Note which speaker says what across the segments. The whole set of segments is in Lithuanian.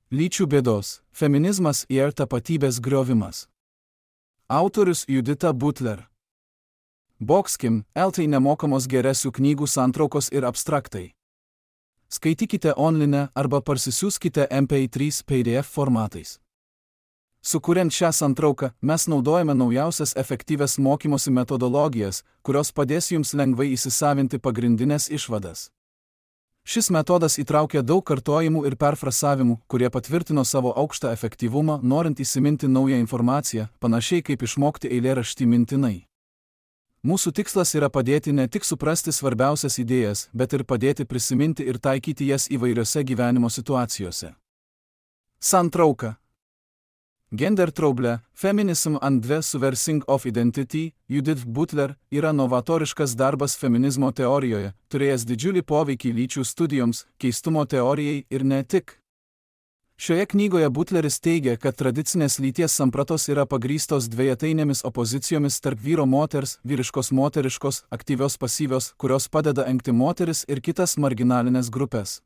Speaker 1: Lyčių bėdos – feminizmas ir tapatybės griovimas. Autorius Judita Butler. Boxkim, LT nemokamos geresių knygų santraukos ir abstraktai. Skaitykite online arba parsisiųskite MP3 PDF formatais. Sukuriant šią santrauką, mes naudojame naujausias efektyvias mokymosi metodologijas, kurios padės jums lengvai įsisavinti pagrindinės išvadas. Šis metodas įtraukia daug kartojimų ir perfrasavimų, kurie patvirtino savo aukštą efektyvumą, norint įsiminti naują informaciją, panašiai kaip išmokti eilėraštį mintinai. Mūsų tikslas yra padėti ne tik suprasti svarbiausias idėjas, bet ir padėti prisiminti ir taikyti jas įvairiose gyvenimo situacijose. Santrauka. Gender Trouble, Feminism and the Subversing of Identity, Judith Butler, yra novatoriškas darbas feminizmo teorijoje, turėjęs didžiulį poveikį lyčių studijoms, keistumo teorijai ir ne tik. Šioje knygoje Butleris teigia, kad tradicinės lyties sampratos yra pagrįstos dvejetainėmis opozicijomis tarp vyro-moters, vyriškos-moteriškos, aktyvios-pasyvios, kurios padeda engti moteris ir kitas marginalinės grupės.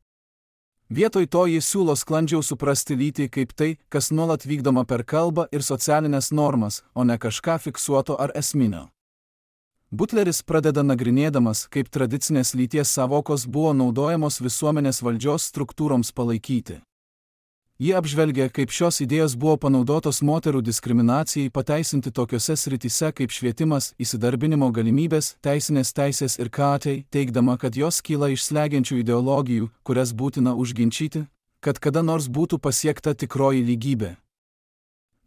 Speaker 1: Vietoj to ji siūlo sklandžiau suprasti lytį kaip tai, kas nuolat vykdoma per kalbą ir socialinės normas, o ne kažką fiksuoto ar esminio. Butleris pradeda nagrinėdamas, kaip tradicinės lyties savokos buvo naudojamos visuomenės valdžios struktūroms palaikyti. Ji apžvelgia, kaip šios idėjos buvo panaudotos moterų diskriminacijai pateisinti tokiose srityse kaip švietimas, įsidarbinimo galimybės, teisinės teisės ir kt, teigdama, kad jos kyla iš slegiančių ideologijų, kurias būtina užginčyti, kad kada nors būtų pasiekta tikroji lygybė.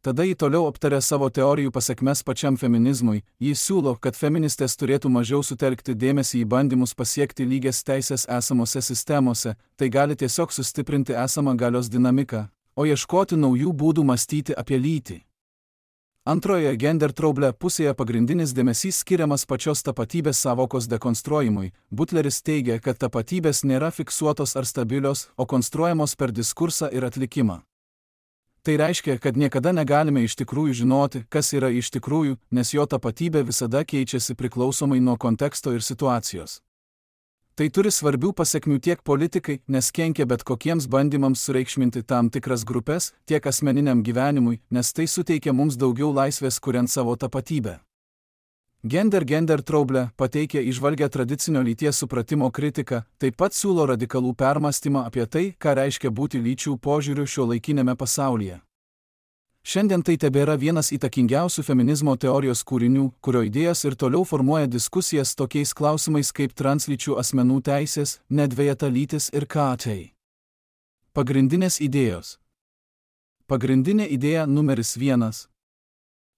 Speaker 1: Tada ji toliau aptarė savo teorijų pasekmes pačiam feminizmui. Ji siūlo, kad feministės turėtų mažiau sutelkti dėmesį į bandymus pasiekti lygias teisės esamose sistemose, tai gali tiesiog sustiprinti esamą galios dinamiką, o ieškoti naujų būdų mąstyti apie lytį. Antroje Gender Trouble pusėje pagrindinis dėmesys skiriamas pačios tapatybės savokos dekonstruojimui. Butleris teigia, kad tapatybės nėra fiksuotos ar stabilios, o konstruojamos per diskursą ir atlikimą. Tai reiškia, kad niekada negalime iš tikrųjų žinoti, kas yra iš tikrųjų, nes jo tapatybė visada keičiasi priklausomai nuo konteksto ir situacijos. Tai turi svarbių pasekmių tiek politikai, nes kenkia bet kokiems bandymams sureikšminti tam tikras grupės, tiek asmeniniam gyvenimui, nes tai suteikia mums daugiau laisvės kuriant savo tapatybę. Gender Trouble pateikia įžvalgią tradicinio lyties supratimo kritiką, taip pat siūlo radikalų permąstymą apie tai, ką reiškia būti lyčių požiūriu šiuolaikinėme pasaulyje. Šiandien tai tebėra vienas įtakingiausių feminizmo teorijos kūrinių, kurio idėjos ir toliau formuoja diskusijas tokiais klausimais kaip translyčių asmenų teisės, nedvejeta lytis ir kt. Pagrindinės idėjos. Pagrindinė idėja numeris 1.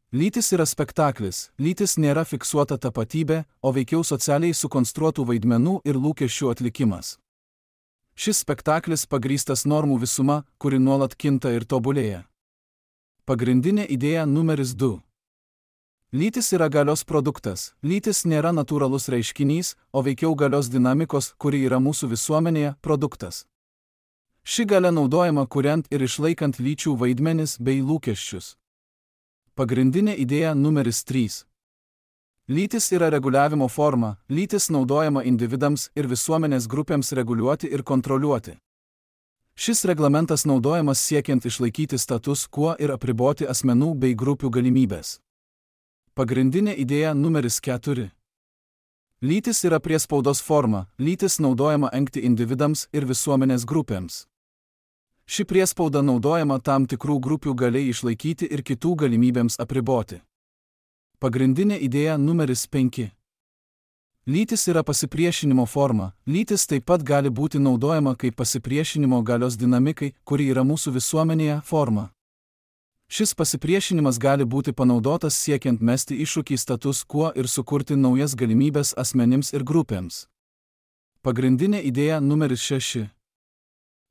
Speaker 1: Lytis yra spektaklis, lytis nėra fiksuota tapatybė, o veikiau socialiai sukonstruotų vaidmenų ir lūkesčių atlikimas. Šis spektaklis pagrįstas normų visuma, kuri nuolat kinta ir tobulėja. Pagrindinė idėja numeris 2. Lytis yra galios produktas, lytis nėra natūralus reiškinys, o veikiau galios dinamikos, kuri yra mūsų visuomenėje, produktas. Ši galia naudojama kuriant ir išlaikant lyčių vaidmenis bei lūkesčius. Pagrindinė idėja numeris 3. Lytis yra reguliavimo forma, lytis naudojama individams ir visuomenės grupėms reguliuoti ir kontroliuoti. Šis reglamentas naudojamas siekiant išlaikyti status quo ir apriboti asmenų bei grupių galimybės. Pagrindinė idėja numeris 4. Lytis yra priespaudos forma, lytis naudojama engti individams ir visuomenės grupėms. Ši priespauda naudojama tam tikrų grupių galiai išlaikyti ir kitų galimybėms apriboti. Pagrindinė idėja numeris 5. Lytis yra pasipriešinimo forma, lytis taip pat gali būti naudojama kaip pasipriešinimo galios dinamikai, kuri yra mūsų visuomenėje, forma. Šis pasipriešinimas gali būti panaudotas siekiant mesti iššūkį status quo ir sukurti naujas galimybės asmenims ir grupėms. Pagrindinė idėja numeris 6.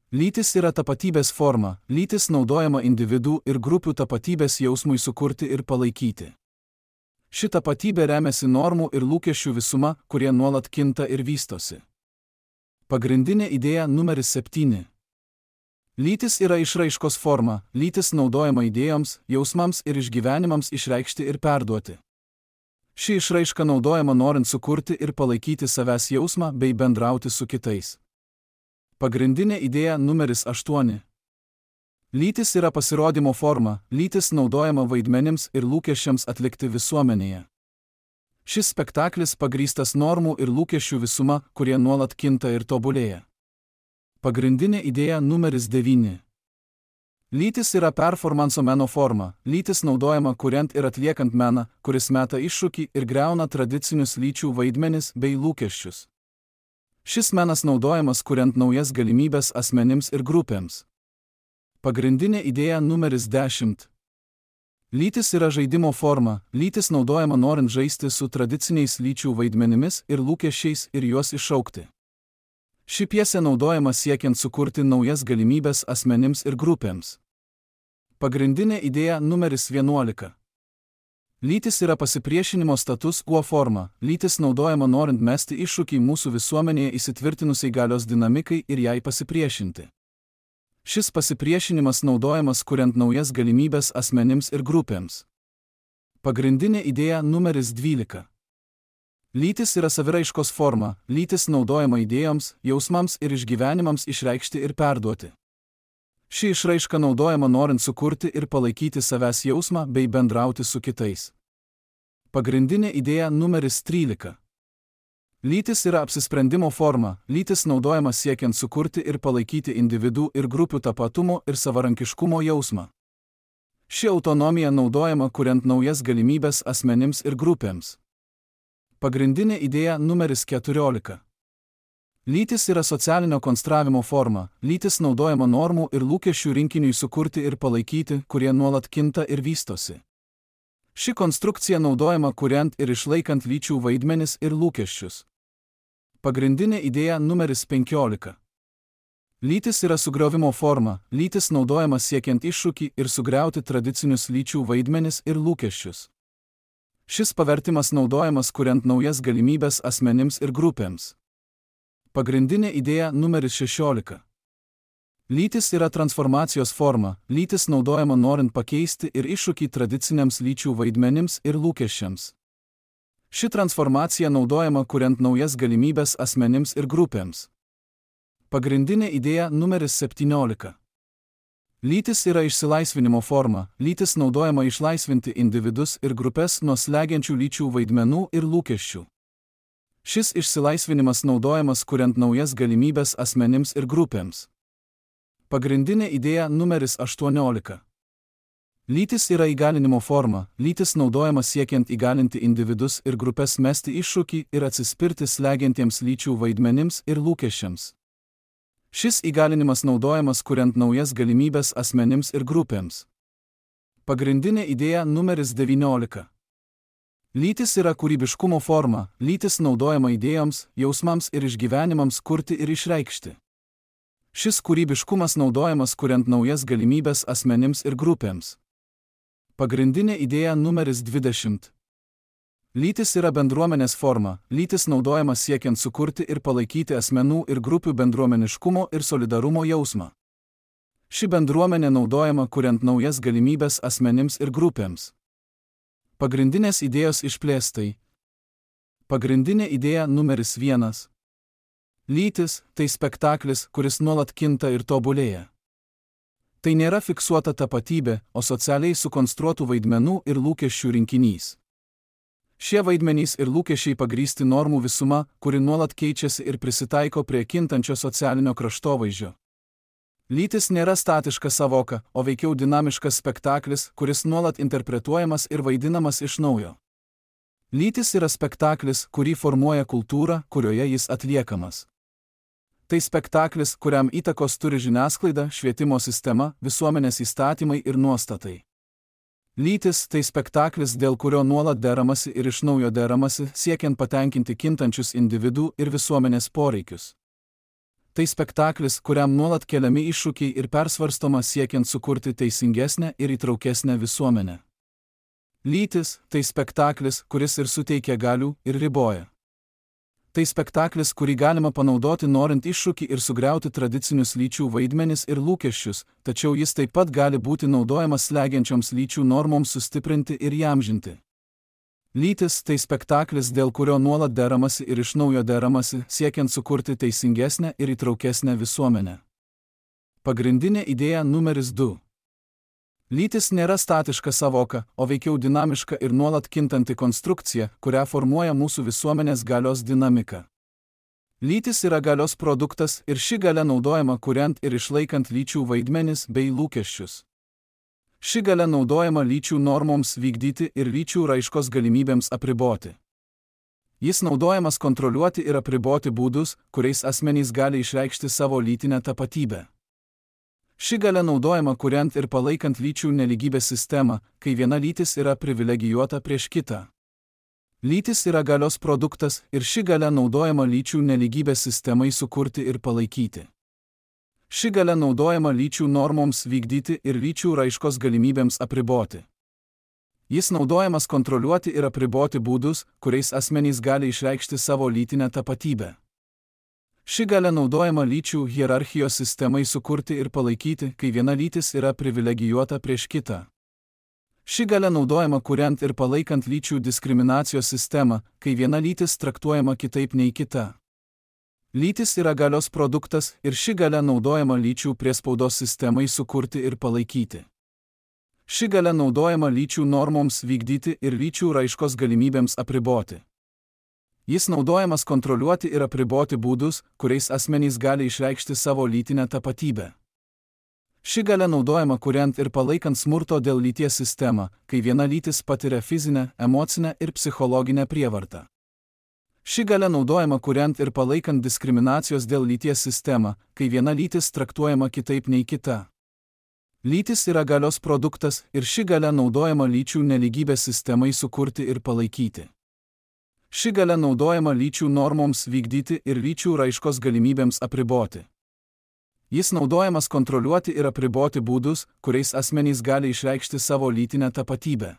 Speaker 1: Lytis yra tapatybės forma, lytis naudojama individų ir grupių tapatybės jausmui sukurti ir palaikyti. Ši tapatybė remiasi normų ir lūkesčių visuma, kurie nuolat kinta ir vystosi. Pagrindinė idėja numeris 7. Lytis yra išraiškos forma, lytis naudojama idėjoms, jausmams ir išgyvenimams išreikšti ir perduoti. Ši išraiška naudojama norint sukurti ir palaikyti savęs jausmą bei bendrauti su kitais. Pagrindinė idėja numeris 8. Lytis yra pasirodymo forma, lytis naudojama vaidmenims ir lūkesčiams atlikti visuomenėje. Šis spektaklis pagrįstas normų ir lūkesčių visuma, kurie nuolat kinta ir tobulėja. Pagrindinė idėja numeris 9. Lytis yra performanso meno forma, lytis naudojama kuriant ir atliekant meną, kuris meta iššūkį ir griauna tradicinius lyčių vaidmenis bei lūkesčius. Šis menas naudojamas kuriant naujas galimybės asmenims ir grupėms. Pagrindinė idėja numeris 10. Lytis yra žaidimo forma, lytis naudojama norint žaisti su tradiciniais lyčių vaidmenimis ir lūkesčiais ir juos iššaukti. Ši pjesė naudojama siekiant sukurti naujas galimybės asmenims ir grupėms. Pagrindinė idėja numeris 11. Lytis yra pasipriešinimo status quo forma, lytis naudojama norint mesti iššūkį mūsų visuomenėje įsitvirtinusiai galios dinamikai ir jai pasipriešinti. Šis pasipriešinimas naudojamas kuriant naujas galimybės asmenims ir grupėms. Pagrindinė idėja numeris 12. Lytis yra saviraiškos forma, lytis naudojama idėjoms, jausmams ir išgyvenimams išreikšti ir perduoti. Ši išraiška naudojama norint sukurti ir palaikyti savęs jausmą bei bendrauti su kitais. Pagrindinė idėja numeris 13. Lytis yra apsisprendimo forma, lytis naudojama siekiant sukurti ir palaikyti individų ir grupių tapatumo ir savarankiškumo jausmą. Ši autonomija naudojama kuriant naujas galimybės asmenims ir grupėms. Pagrindinė idėja numeris 14. Lytis yra socialinio konstravimo forma, lytis naudojama normų ir lūkesčių rinkiniui sukurti ir palaikyti, kurie nuolat kinta ir vystosi. Ši konstrukcija naudojama kuriant ir išlaikant lyčių vaidmenis ir lūkesčius. Pagrindinė idėja numeris 15. Lytis yra sugriovimo forma, lytis naudojama siekiant iššūkį ir sugriauti tradicinius lyčių vaidmenis ir lūkesčius. Šis pavertimas naudojamas kuriant naujas galimybės asmenims ir grupėms. Pagrindinė idėja numeris 16. Lytis yra transformacijos forma, lytis naudojama norint pakeisti ir iššūkį tradiciniams lyčių vaidmenims ir lūkesčiams. Ši transformacija naudojama kuriant naujas galimybės asmenims ir grupėms. Pagrindinė idėja numeris 17. Lytis yra išsilaisvinimo forma, lytis naudojama išlaisvinti individus ir grupės nuo slegiančių lyčių vaidmenų ir lūkesčių. Šis išsilaisvinimas naudojamas kuriant naujas galimybės asmenims ir grupėms. Pagrindinė idėja numeris 18. Lytis yra įgalinimo forma, lytis naudojama siekiant įgalinti individus ir grupės mesti iššūkį ir atsispirti slegiantiems lyčių vaidmenims ir lūkesčiams. Šis įgalinimas naudojamas kuriant naujas galimybės asmenims ir grupėms. Pagrindinė idėja numeris 19. Lytis yra kūrybiškumo forma, lytis naudojama idėjoms, jausmams ir išgyvenimams kurti ir išreikšti. Šis kūrybiškumas naudojamas kuriant naujas galimybės asmenims ir grupėms. Pagrindinė idėja numeris 20. Lytis yra bendruomenės forma, lytis naudojama siekiant sukurti ir palaikyti asmenų ir grupių bendruomeniškumo ir solidarumo jausmą. Ši bendruomenė naudojama kuriant naujas galimybės asmenims ir grupėms. Pagrindinės idėjos išplėstai. Pagrindinė idėja numeris 1. Lytis – tai spektaklis, kuris nuolat kinta ir tobulėja. Tai nėra fiksuota tapatybė, o socialiai sukonstruotų vaidmenų ir lūkesčių rinkinys. Šie vaidmenys ir lūkesčiai pagrįsti normų visuma, kuri nuolat keičiasi ir prisitaiko prie kintančio socialinio kraštovaizdžio. Lytis nėra statiška savoka, o veikiau dinamiškas spektaklis, kuris nuolat interpretuojamas ir vaidinamas iš naujo. Lytis yra spektaklis, kurį formuoja kultūra, kurioje jis atliekamas. Tai spektaklis, kuriam įtakos turi žiniasklaida, švietimo sistema, visuomenės įstatymai ir nuostatai. Lytis – tai spektaklis, dėl kurio nuolat deramasi ir iš naujo deramasi, siekiant patenkinti kintančius individų ir visuomenės poreikius. Tai spektaklis, kuriam nuolat keliami iššūkiai ir persvarstoma siekiant sukurti teisingesnę ir įtraukesnę visuomenę. Lytis – tai spektaklis, kuris ir suteikia galių, ir riboja. Tai spektaklis, kurį galima panaudoti norint iššūkį ir sugriauti tradicinius lyčių vaidmenis ir lūkesčius, tačiau jis taip pat gali būti naudojamas slegiančioms lyčių normoms sustiprinti ir įamžinti. Lytis – tai spektaklis, dėl kurio nuolat deramasi ir iš naujo deramasi, siekiant sukurti teisingesnę ir įtraukesnę visuomenę. Pagrindinė idėja numeris 2. Lytis nėra statiška savoka, o veikiau dinamiška ir nuolat kintanti konstrukcija, kurią formuoja mūsų visuomenės galios dinamika. Lytis yra galios produktas ir ši galia naudojama kuriant ir išlaikant lyčių vaidmenis bei lūkesčius. Ši galia naudojama lyčių normoms vykdyti ir lyčių raiškos galimybėms apriboti. Jis naudojamas kontroliuoti ir apriboti būdus, kuriais asmenys gali išreikšti savo lytinę tapatybę. Ši galia naudojama kuriant ir palaikant lyčių nelygybės sistemą, kai viena lytis yra privilegijuota prieš kitą. Lytis yra galios produktas ir ši galia naudojama lyčių nelygybės sistemai sukurti ir palaikyti. Ši galia naudojama lyčių normoms vykdyti ir lyčių raiškos galimybėms apriboti. Jis naudojamas kontroliuoti ir apriboti būdus, kuriais asmenys gali išreikšti savo lytinę tapatybę. Ši galia naudojama lyčių hierarchijos sistemai sukurti ir palaikyti, kai viena lytis yra privilegijuota prieš kitą. Ši galia naudojama kuriant ir palaikant lyčių diskriminacijos sistemą, kai viena lytis traktuojama kitaip nei kita. Lytis yra galios produktas ir ši galia naudojama lyčių priespaudos sistemai sukurti ir palaikyti. Ši galia naudojama lyčių normoms vykdyti ir lyčių raiškos galimybėms apriboti. Jis naudojamas kontroliuoti ir apriboti būdus, kuriais asmenys gali išreikšti savo lytinę tapatybę. Ši galia naudojama kuriant ir palaikant smurto dėl lyties sistemą, kai viena lytis patiria fizinę, emocinę ir psichologinę prievartą. Ši galia naudojama kuriant ir palaikant diskriminacijos dėl lyties sistemą, kai viena lytis traktuojama kitaip nei kita. Lytis yra galios produktas ir ši galia naudojama lyčių nelygybės sistemai sukurti ir palaikyti. Ši galia naudojama lyčių normoms vykdyti ir lyčių raiškos galimybėms apriboti. Jis naudojamas kontroliuoti ir apriboti būdus, kuriais asmenys gali išreikšti savo lytinę tapatybę.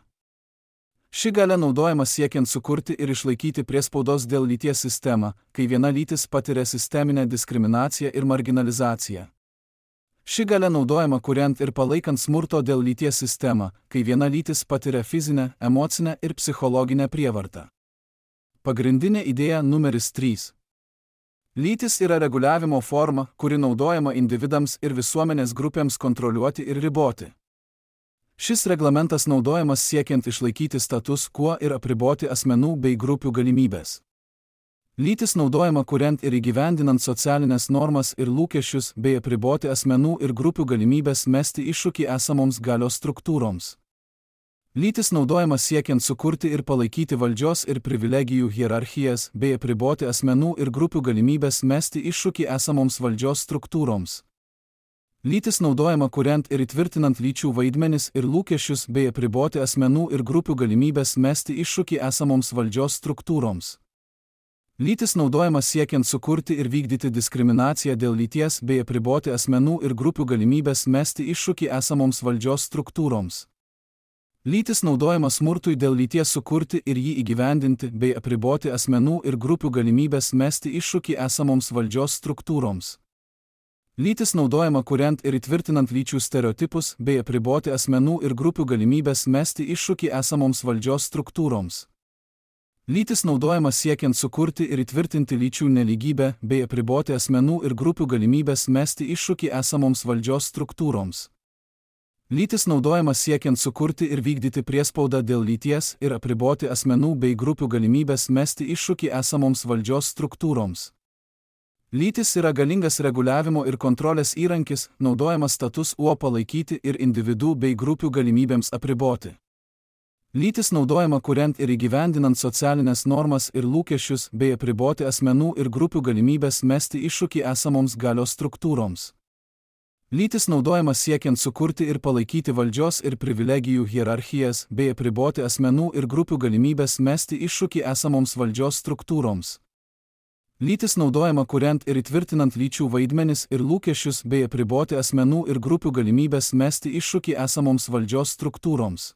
Speaker 1: Ši galia naudojama siekiant sukurti ir išlaikyti priespaudos dėl lyties sistemą, kai viena lytis patiria sisteminę diskriminaciją ir marginalizaciją. Ši galia naudojama kuriant ir palaikant smurto dėl lyties sistemą, kai viena lytis patiria fizinę, emocinę ir psichologinę prievartą. Pagrindinė idėja numeris 3. Lytis yra reguliavimo forma, kuri naudojama individams ir visuomenės grupėms kontroliuoti ir riboti. Šis reglamentas naudojamas siekiant išlaikyti status quo ir apriboti asmenų bei grupių galimybės. Lytis naudojama kuriant ir įgyvendinant socialinės normas ir lūkesčius bei apriboti asmenų ir grupių galimybės mesti iššūkį esamoms galios struktūroms. Lytis naudojama siekiant sukurti ir palaikyti valdžios ir privilegijų hierarchijas bei apriboti asmenų ir grupių galimybės mesti iššūkį esamoms valdžios struktūroms. Lytis naudojama kuriant ir įtvirtinant lyčių vaidmenis ir lūkesčius bei apriboti asmenų ir grupių galimybės mesti iššūkį esamoms valdžios struktūroms. Lytis naudojama siekiant sukurti ir vykdyti diskriminaciją dėl lyties bei apriboti asmenų ir grupių galimybės mesti iššūkį esamoms valdžios struktūroms. Lytis naudojama smurtui dėl lyties sukurti ir jį įgyvendinti bei apriboti asmenų ir grupių galimybės mesti iššūkį esamoms valdžios struktūroms. Lytis naudojama kuriant ir įtvirtinant lyčių stereotipus bei apriboti asmenų ir grupių galimybės mesti iššūkį esamoms valdžios struktūroms. Lytis naudojama siekiant sukurti ir įtvirtinti lyčių nelygybę bei apriboti asmenų ir grupių galimybės mesti iššūkį esamoms valdžios struktūroms. Lytis naudojama siekiant sukurti ir vykdyti priespaudą dėl lyties ir apriboti asmenų bei grupių galimybės mesti iššūkį esamoms valdžios struktūroms. Lytis yra galingas reguliavimo ir kontrolės įrankis, naudojamas status quo palaikyti ir individų bei grupių galimybėms apriboti. Lytis naudojama kuriant ir įgyvendinant socialinės normas ir lūkesčius bei apriboti asmenų ir grupių galimybės mesti iššūkį esamoms galios struktūroms. Lytis naudojama siekiant sukurti ir palaikyti valdžios ir privilegijų hierarchijas bei apriboti asmenų ir grupių galimybės mesti iššūkį esamoms valdžios struktūroms. Lytis naudojama kuriant ir įtvirtinant lyčių vaidmenis ir lūkesčius bei apriboti asmenų ir grupių galimybės mesti iššūkį esamoms valdžios struktūroms.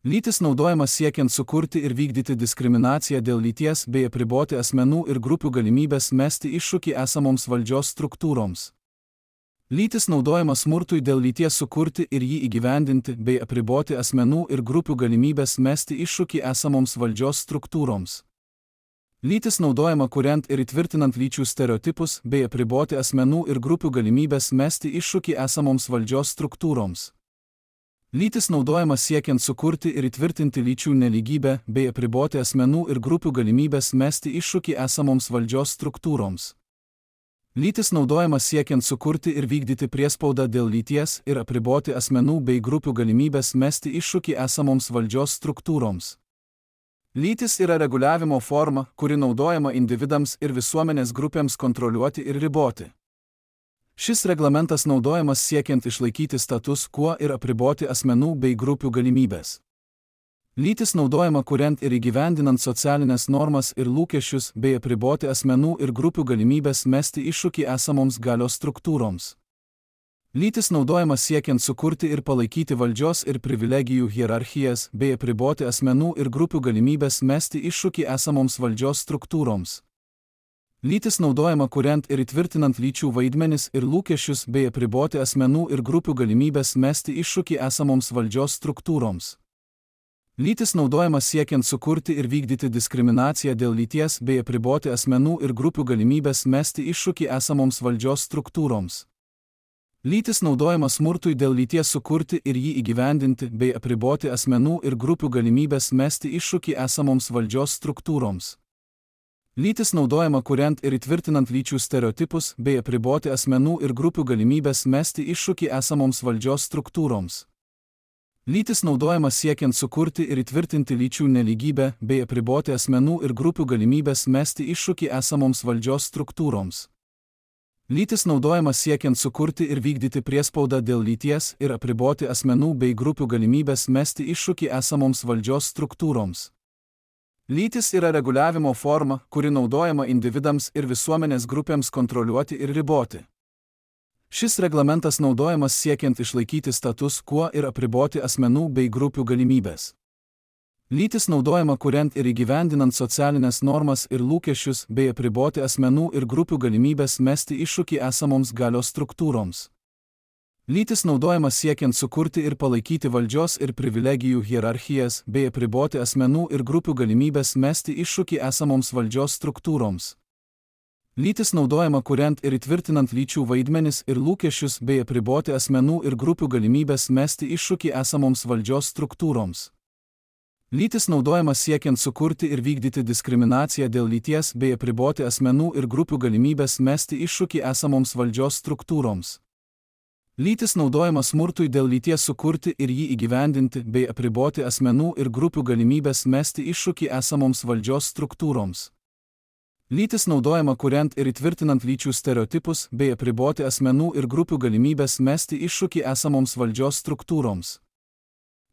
Speaker 1: Lytis naudojama siekiant sukurti ir vykdyti diskriminaciją dėl lyties bei apriboti asmenų ir grupių galimybės mesti iššūkį esamoms valdžios struktūroms. Lytis naudojama smurtui dėl lyties sukurti ir jį įgyvendinti bei apriboti asmenų ir grupių galimybės mesti iššūkį esamoms valdžios struktūroms. Lytis naudojama kuriant ir įtvirtinant lyčių stereotipus bei apriboti asmenų ir grupių galimybės mesti iššūkį esamoms valdžios struktūroms. Lytis naudojama siekiant sukurti ir įtvirtinti lyčių nelygybę bei apriboti asmenų ir grupių galimybės mesti iššūkį esamoms valdžios struktūroms. Lytis naudojama siekiant sukurti ir vykdyti priespaudą dėl lyties ir apriboti asmenų bei grupių galimybės mesti iššūkį esamoms valdžios struktūroms. Lytis yra reguliavimo forma, kuri naudojama individams ir visuomenės grupėms kontroliuoti ir riboti. Šis reglamentas naudojamas siekiant išlaikyti status quo ir apriboti asmenų bei grupių galimybės. Lytis naudojama kuriant ir įgyvendinant socialinės normas ir lūkesčius bei apriboti asmenų ir grupių galimybės mesti iššūkį esamoms galios struktūroms. Lytis naudojama siekiant sukurti ir palaikyti valdžios ir privilegijų hierarchijas bei apriboti asmenų ir grupių galimybės mesti iššūkį esamoms valdžios struktūroms. Lytis naudojama kuriant ir įtvirtinant lyčių vaidmenis ir lūkesčius bei apriboti asmenų ir grupių galimybės mesti iššūkį esamoms valdžios struktūroms. Lytis naudojama siekiant sukurti ir vykdyti diskriminaciją dėl lyties bei apriboti asmenų ir grupių galimybės mesti iššūkį esamoms valdžios struktūroms. Lytis naudojama smurtui dėl lyties sukurti ir jį įgyvendinti bei apriboti asmenų ir grupių galimybės mesti iššūkį esamoms valdžios struktūroms. Lytis naudojama kuriant ir įtvirtinant lyčių stereotipus bei apriboti asmenų ir grupių galimybės mesti iššūkį esamoms valdžios struktūroms. Lytis naudojama siekiant sukurti ir įtvirtinti lyčių nelygybę bei apriboti asmenų ir grupių galimybės mesti iššūkį esamoms valdžios struktūroms. Lytis naudojama siekiant sukurti ir vykdyti priespaudą dėl lyties ir apriboti asmenų bei grupių galimybės mesti iššūkį esamoms valdžios struktūroms. Lytis yra reguliavimo forma, kuri naudojama individams ir visuomenės grupėms kontroliuoti ir riboti. Šis reglamentas naudojamas siekiant išlaikyti status quo ir apriboti asmenų bei grupių galimybės. Lytis naudojama kuriant ir įgyvendinant socialinės normas ir lūkesčius bei apriboti asmenų ir grupių galimybės mesti iššūkį esamoms galios struktūroms. Lytis naudojama siekiant sukurti ir palaikyti valdžios ir privilegijų hierarchijas bei apriboti asmenų ir grupių galimybės mesti iššūkį esamoms valdžios struktūroms. Lytis naudojama kuriant ir įtvirtinant lyčių vaidmenis ir lūkesčius bei apriboti asmenų ir grupių galimybės mesti iššūkį esamoms valdžios struktūroms. Lytis naudojama siekiant sukurti ir vykdyti diskriminaciją dėl lyties bei apriboti asmenų ir grupių galimybės mesti iššūkį esamoms valdžios struktūroms. Lytis naudojama smurtui dėl lyties sukurti ir jį įgyvendinti bei apriboti asmenų ir grupių galimybės mesti iššūkį esamoms valdžios struktūroms. Lytis naudojama kuriant ir įtvirtinant lyčių stereotipus bei apriboti asmenų ir grupių galimybės mesti iššūkį esamoms valdžios struktūroms.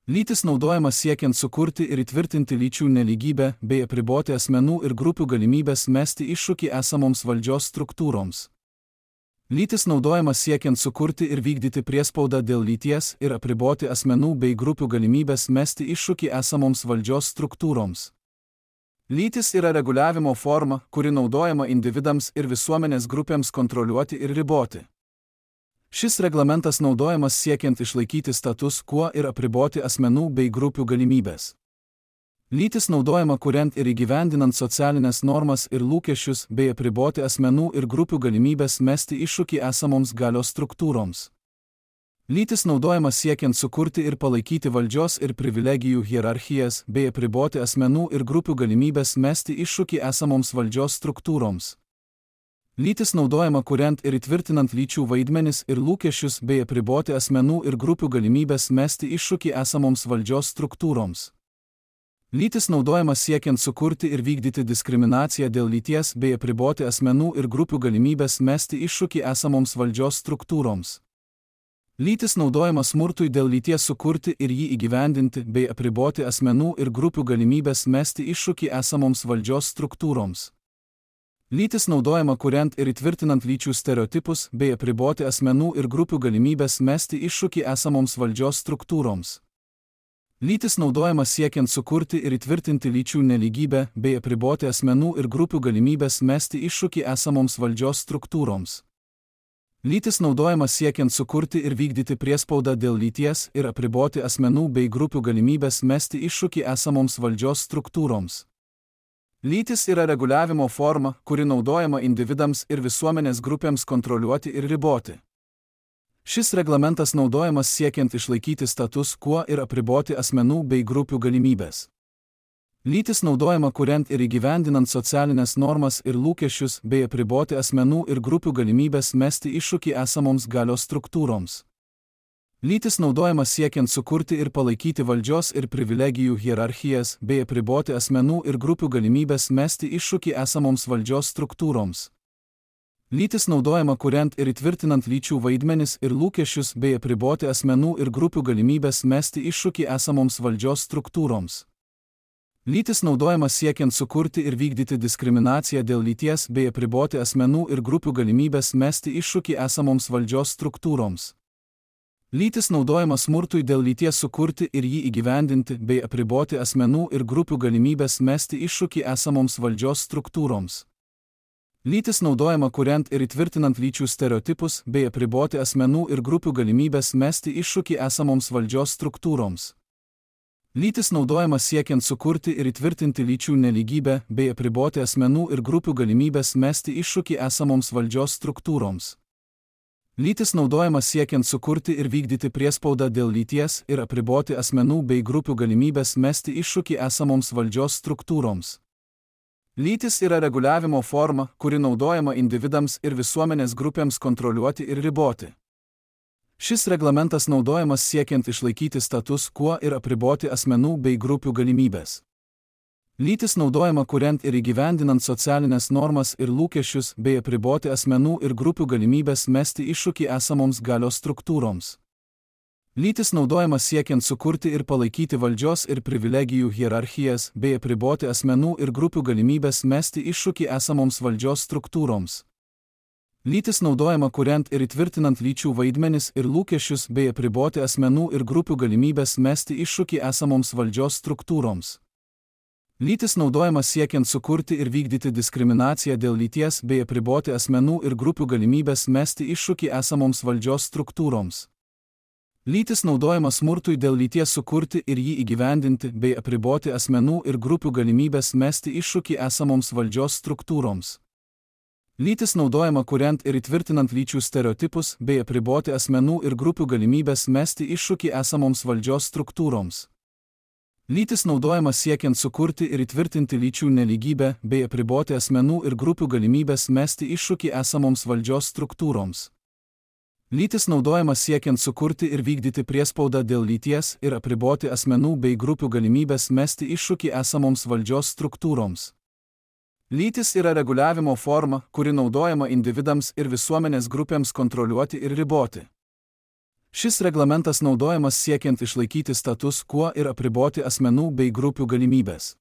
Speaker 1: Lytis naudojama siekiant sukurti ir įtvirtinti lyčių nelygybę bei apriboti asmenų ir grupių galimybės mesti iššūkį esamoms valdžios struktūroms. Lytis naudojama siekiant sukurti ir vykdyti priespaudą dėl lyties ir apriboti asmenų bei grupių galimybės mesti iššūkį esamoms valdžios struktūroms. Lytis yra reguliavimo forma, kuri naudojama individams ir visuomenės grupėms kontroliuoti ir riboti. Šis reglamentas naudojamas siekiant išlaikyti status quo ir apriboti asmenų bei grupių galimybės. Lytis naudojama kuriant ir įgyvendinant socialinės normas ir lūkesčius bei apriboti asmenų ir grupių galimybės mesti iššūkį esamoms galios struktūroms. Lytis naudojama siekiant sukurti ir palaikyti valdžios ir privilegijų hierarchijas bei apriboti asmenų ir grupių galimybės mesti iššūkį esamoms valdžios struktūroms. Lytis naudojama kuriant ir įtvirtinant lyčių vaidmenis ir lūkesčius bei apriboti asmenų ir grupių galimybės mesti iššūkį esamoms valdžios struktūroms. Lytis naudojama siekiant sukurti ir vykdyti diskriminaciją dėl lyties bei apriboti asmenų ir grupių galimybės mesti iššūkį esamoms valdžios struktūroms. Lytis naudojama smurtui dėl lyties sukurti ir jį įgyvendinti bei apriboti asmenų ir grupių galimybės mesti iššūkį esamoms valdžios struktūroms. Lytis naudojama kuriant ir įtvirtinant lyčių stereotipus bei apriboti asmenų ir grupių galimybės mesti iššūkį esamoms valdžios struktūroms. Lytis naudojama siekiant sukurti ir įtvirtinti lyčių nelygybę bei apriboti asmenų ir grupių galimybės mesti iššūkį esamoms valdžios struktūroms. Lytis naudojama siekiant sukurti ir vykdyti priespaudą dėl lyties ir apriboti asmenų bei grupių galimybės mesti iššūkį esamoms valdžios struktūroms. Lytis yra reguliavimo forma, kuri naudojama individams ir visuomenės grupėms kontroliuoti ir riboti. Šis reglamentas naudojamas siekiant išlaikyti status quo ir apriboti asmenų bei grupių galimybės. Lytis naudojama kuriant ir įgyvendinant socialinės normas ir lūkesčius bei apriboti asmenų ir grupių galimybės mesti iššūkį esamoms galios struktūroms. Lytis naudojama siekiant sukurti ir palaikyti valdžios ir privilegijų hierarchijas bei apriboti asmenų ir grupių galimybės mesti iššūkį esamoms valdžios struktūroms. Lytis naudojama kuriant ir įtvirtinant lyčių vaidmenis ir lūkesčius bei apriboti asmenų ir grupių galimybės mesti iššūkį esamoms valdžios struktūroms. Lytis naudojama siekiant sukurti ir vykdyti diskriminaciją dėl lyties bei apriboti asmenų ir grupių galimybės mesti iššūkį esamoms valdžios struktūroms. Lytis naudojama smurtui dėl lyties sukurti ir jį įgyvendinti bei apriboti asmenų ir grupių galimybės mesti iššūkį esamoms valdžios struktūroms. Lytis naudojama kuriant ir įtvirtinant lyčių stereotipus bei apriboti asmenų ir grupių galimybės mesti iššūkį esamoms valdžios struktūroms. Lytis naudojama siekiant sukurti ir įtvirtinti lyčių nelygybę bei apriboti asmenų ir grupių galimybės mesti iššūkį esamoms valdžios struktūroms. Lytis naudojama siekiant sukurti ir vykdyti priespaudą dėl lyties ir apriboti asmenų bei grupių galimybės mesti iššūkį esamoms valdžios struktūroms. Lytis yra reguliavimo forma, kuri naudojama individams ir visuomenės grupėms kontroliuoti ir riboti. Šis reglamentas naudojamas siekiant išlaikyti status quo ir apriboti asmenų bei grupių galimybės. Lytis naudojama kuriant ir įgyvendinant socialinės normas ir lūkesčius bei apriboti asmenų ir grupių galimybės mesti iššūkį esamoms galios struktūroms. Lytis naudojama siekiant sukurti ir palaikyti valdžios ir privilegijų hierarchijas bei apriboti asmenų ir grupių galimybės mesti iššūkį esamoms valdžios struktūroms. Lytis naudojama kuriant ir įtvirtinant lyčių vaidmenis ir lūkesčius bei apriboti asmenų ir grupių galimybės mesti iššūkį esamoms valdžios struktūroms. Lytis naudojama siekiant sukurti ir vykdyti diskriminaciją dėl lyties bei apriboti asmenų ir grupių galimybės mesti iššūkį esamoms valdžios struktūroms. Lytis naudojama smurtui dėl lyties sukurti ir jį įgyvendinti bei apriboti asmenų ir grupių galimybės mesti iššūkį esamoms valdžios struktūroms. Lytis naudojama kuriant ir įtvirtinant lyčių stereotipus bei apriboti asmenų ir grupių galimybės mesti iššūkį esamoms valdžios struktūroms. Lytis naudojama siekiant sukurti ir įtvirtinti lyčių nelygybę bei apriboti asmenų ir grupių galimybės mesti iššūkį esamoms valdžios struktūroms. Lytis naudojama siekiant sukurti ir vykdyti priespaudą dėl lyties ir apriboti asmenų bei grupių galimybės mesti iššūkį esamoms valdžios struktūroms. Lytis yra reguliavimo forma, kuri naudojama individams ir visuomenės grupėms kontroliuoti ir riboti. Šis reglamentas naudojamas siekiant išlaikyti status quo ir apriboti asmenų bei grupių galimybės.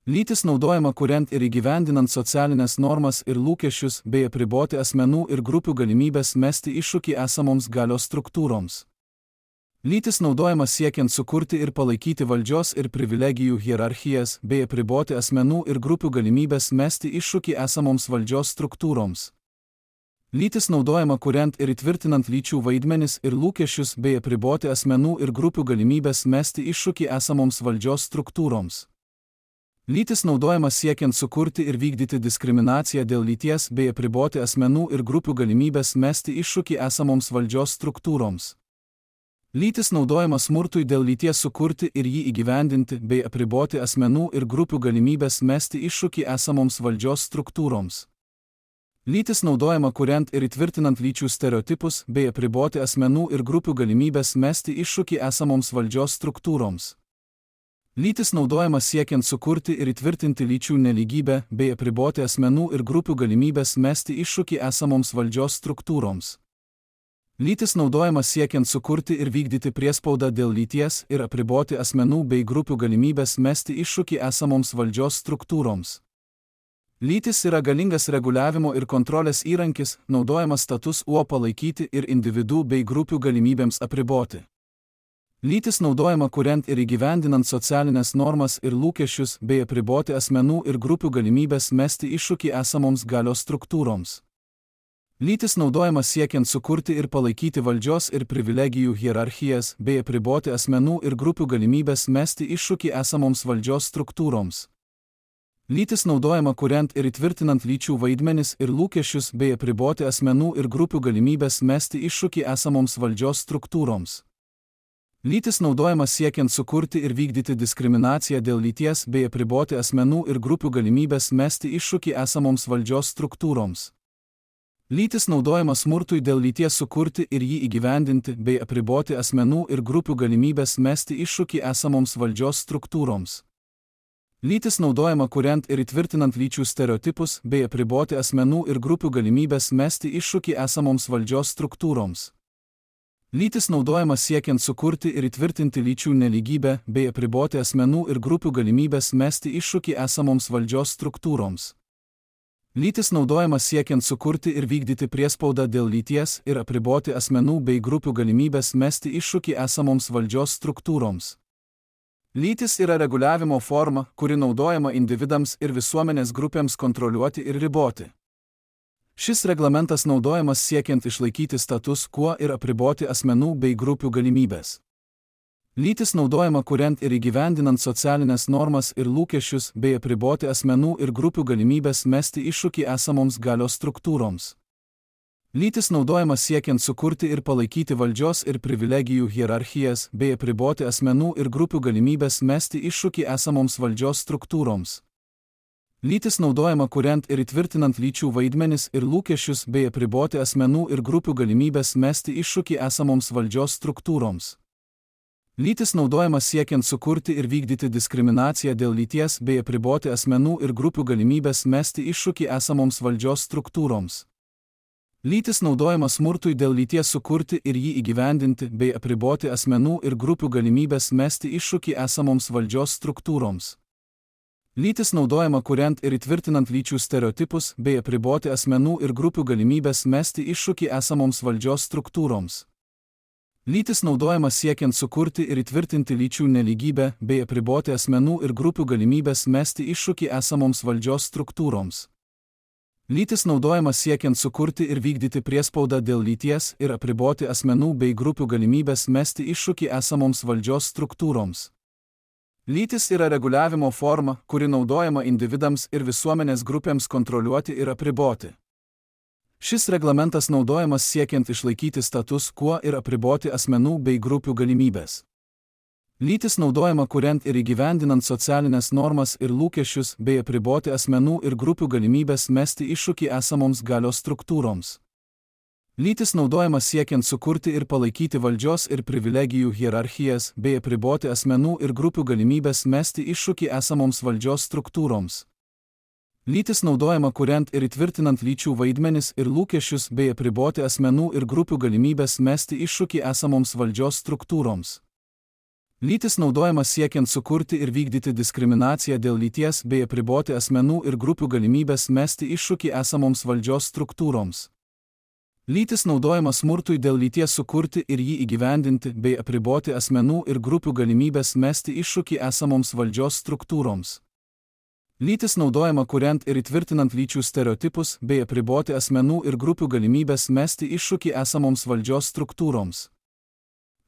Speaker 1: Lytis naudojama kuriant ir įgyvendinant socialinės normas ir lūkesčius bei apriboti asmenų ir grupių galimybės mesti iššūkį esamoms galios struktūroms. Lytis naudojama siekiant sukurti ir palaikyti valdžios ir privilegijų hierarchijas bei apriboti asmenų ir grupių galimybės mesti iššūkį esamoms valdžios struktūroms. Lytis naudojama kuriant ir įtvirtinant lyčių vaidmenis ir lūkesčius bei apriboti asmenų ir grupių galimybės mesti iššūkį esamoms valdžios struktūroms. Lytis naudojama siekiant sukurti ir vykdyti diskriminaciją dėl lyties bei apriboti asmenų ir grupių galimybės mesti iššūkį esamoms valdžios struktūroms. Lytis naudojama smurtui dėl lyties sukurti ir jį įgyvendinti bei apriboti asmenų ir grupių galimybės mesti iššūkį esamoms valdžios struktūroms. Lytis naudojama kuriant ir įtvirtinant lyčių stereotipus bei apriboti asmenų ir grupių galimybės mesti iššūkį esamoms valdžios struktūroms. Lytis naudojama siekiant sukurti ir įtvirtinti lyčių nelygybę bei apriboti asmenų ir grupių galimybės mesti iššūkį esamoms valdžios struktūroms. Lytis naudojama siekiant sukurti ir vykdyti priespaudą dėl lyties ir apriboti asmenų bei grupių galimybės mesti iššūkį esamoms valdžios struktūroms. Lytis yra galingas reguliavimo ir kontrolės įrankis, naudojamas status quo palaikyti ir individų bei grupių galimybėms apriboti. Lytis naudojama kuriant ir įgyvendinant socialinės normas ir lūkesčius bei apriboti asmenų ir grupių galimybės mesti iššūkį esamoms galios struktūroms. Lytis naudojama siekiant sukurti ir palaikyti valdžios ir privilegijų hierarchijas bei apriboti asmenų ir grupių galimybės mesti iššūkį esamoms valdžios struktūroms. Lytis naudojama kuriant ir įtvirtinant lyčių vaidmenis ir lūkesčius bei apriboti asmenų ir grupių galimybės mesti iššūkį esamoms valdžios struktūroms. Lytis naudojama siekiant sukurti ir vykdyti diskriminaciją dėl lyties bei apriboti asmenų ir grupių galimybės mesti iššūkį esamoms valdžios struktūroms. Lytis naudojama smurtui dėl lyties sukurti ir jį įgyvendinti bei apriboti asmenų ir grupių galimybės mesti iššūkį esamoms valdžios struktūroms. Lytis naudojama kuriant ir įtvirtinant lyčių stereotipus bei apriboti asmenų ir grupių galimybės mesti iššūkį esamoms valdžios struktūroms. Lytis naudojama siekiant sukurti ir įtvirtinti lyčių nelygybę bei apriboti asmenų ir grupių galimybės mesti iššūkį esamoms valdžios struktūroms. Lytis naudojama siekiant sukurti ir vykdyti priespaudą dėl lyties ir apriboti asmenų bei grupių galimybės mesti iššūkį esamoms valdžios struktūroms. Lytis yra reguliavimo forma, kuri naudojama individams ir visuomenės grupėms kontroliuoti ir riboti. Šis reglamentas naudojamas siekiant išlaikyti status quo ir apriboti asmenų bei grupių galimybės. Lytis naudojama kuriant ir įgyvendinant socialinės normas ir lūkesčius bei apriboti asmenų ir grupių galimybės mesti iššūkį esamoms galios struktūroms. Lytis naudojama siekiant sukurti ir palaikyti valdžios ir privilegijų hierarchijas bei apriboti asmenų ir grupių galimybės mesti iššūkį esamoms valdžios struktūroms. Lytis naudojama kuriant ir įtvirtinant lyčių vaidmenis ir lūkesčius bei apriboti asmenų ir grupių galimybės mesti iššūkį esamoms valdžios struktūroms. Lytis naudojama siekiant sukurti ir vykdyti diskriminaciją dėl lyties bei apriboti asmenų ir grupių galimybės mesti iššūkį esamoms valdžios struktūroms. Lytis naudojama smurtui dėl lyties sukurti ir jį įgyvendinti bei apriboti asmenų ir grupių galimybės mesti iššūkį esamoms valdžios struktūroms. Lytis naudojama kuriant ir įtvirtinant lyčių stereotipus bei apriboti asmenų ir grupių galimybės mesti iššūkį esamoms valdžios struktūroms. Lytis naudojama siekiant sukurti ir įtvirtinti lyčių nelygybę bei apriboti asmenų ir grupių galimybės mesti iššūkį esamoms valdžios struktūroms. Lytis naudojama siekiant sukurti ir vykdyti priespaudą dėl lyties ir apriboti asmenų bei grupių galimybės mesti iššūkį esamoms valdžios struktūroms. Lytis yra reguliavimo forma, kuri naudojama individams ir visuomenės grupėms kontroliuoti ir apriboti. Šis reglamentas naudojamas siekiant išlaikyti status quo ir apriboti asmenų bei grupių galimybės. Lytis naudojama kuriant ir įgyvendinant socialinės normas ir lūkesčius bei apriboti asmenų ir grupių galimybės mesti iššūkį esamoms galios struktūroms. Lytis naudojama siekiant sukurti ir palaikyti valdžios ir privilegijų hierarchijas bei apriboti asmenų ir grupių galimybės mesti iššūkį esamoms valdžios struktūroms. Lytis naudojama kuriant ir įtvirtinant lyčių vaidmenis ir lūkesčius bei apriboti asmenų ir grupių galimybės mesti iššūkį esamoms valdžios struktūroms. Lytis naudojama siekiant sukurti ir vykdyti diskriminaciją dėl lyties bei apriboti asmenų ir grupių galimybės mesti iššūkį esamoms valdžios struktūroms. Lytis naudojama smurtui dėl lyties sukurti ir jį įgyvendinti bei apriboti asmenų ir grupių galimybės mesti iššūkį esamoms valdžios struktūroms. Lytis naudojama kuriant ir įtvirtinant lyčių stereotipus bei apriboti asmenų ir grupių galimybės mesti iššūkį esamoms valdžios struktūroms.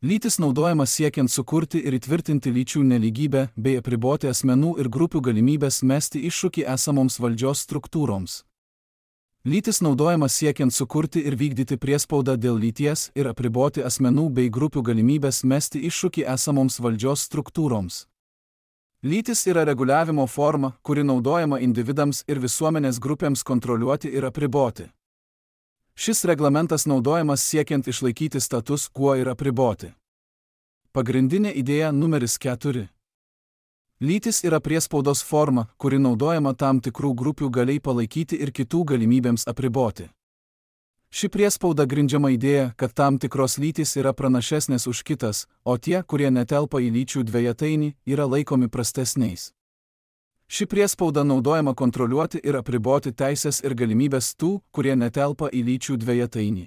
Speaker 1: Lytis naudojama siekiant sukurti ir įtvirtinti lyčių nelygybę bei apriboti asmenų ir grupių galimybės mesti iššūkį esamoms valdžios struktūroms. Lytis naudojama siekiant sukurti ir vykdyti priespaudą dėl lyties ir apriboti asmenų bei grupių galimybės mesti iššūkį esamoms valdžios struktūroms. Lytis yra reguliavimo forma, kuri naudojama individams ir visuomenės grupėms kontroliuoti ir apriboti. Šis reglamentas naudojamas siekiant išlaikyti status quo ir apriboti. Pagrindinė idėja numeris 4. Lytis yra priespaudos forma, kuri naudojama tam tikrų grupių galiai palaikyti ir kitų galimybėms apriboti. Ši priespauda grindžiama idėja, kad tam tikros lytys yra pranašesnės už kitas, o tie, kurie netelpa į lyčių dvejetainį, yra laikomi prastesniais. Ši priespauda naudojama kontroliuoti ir apriboti teisės ir galimybės tų, kurie netelpa į lyčių dvejetainį.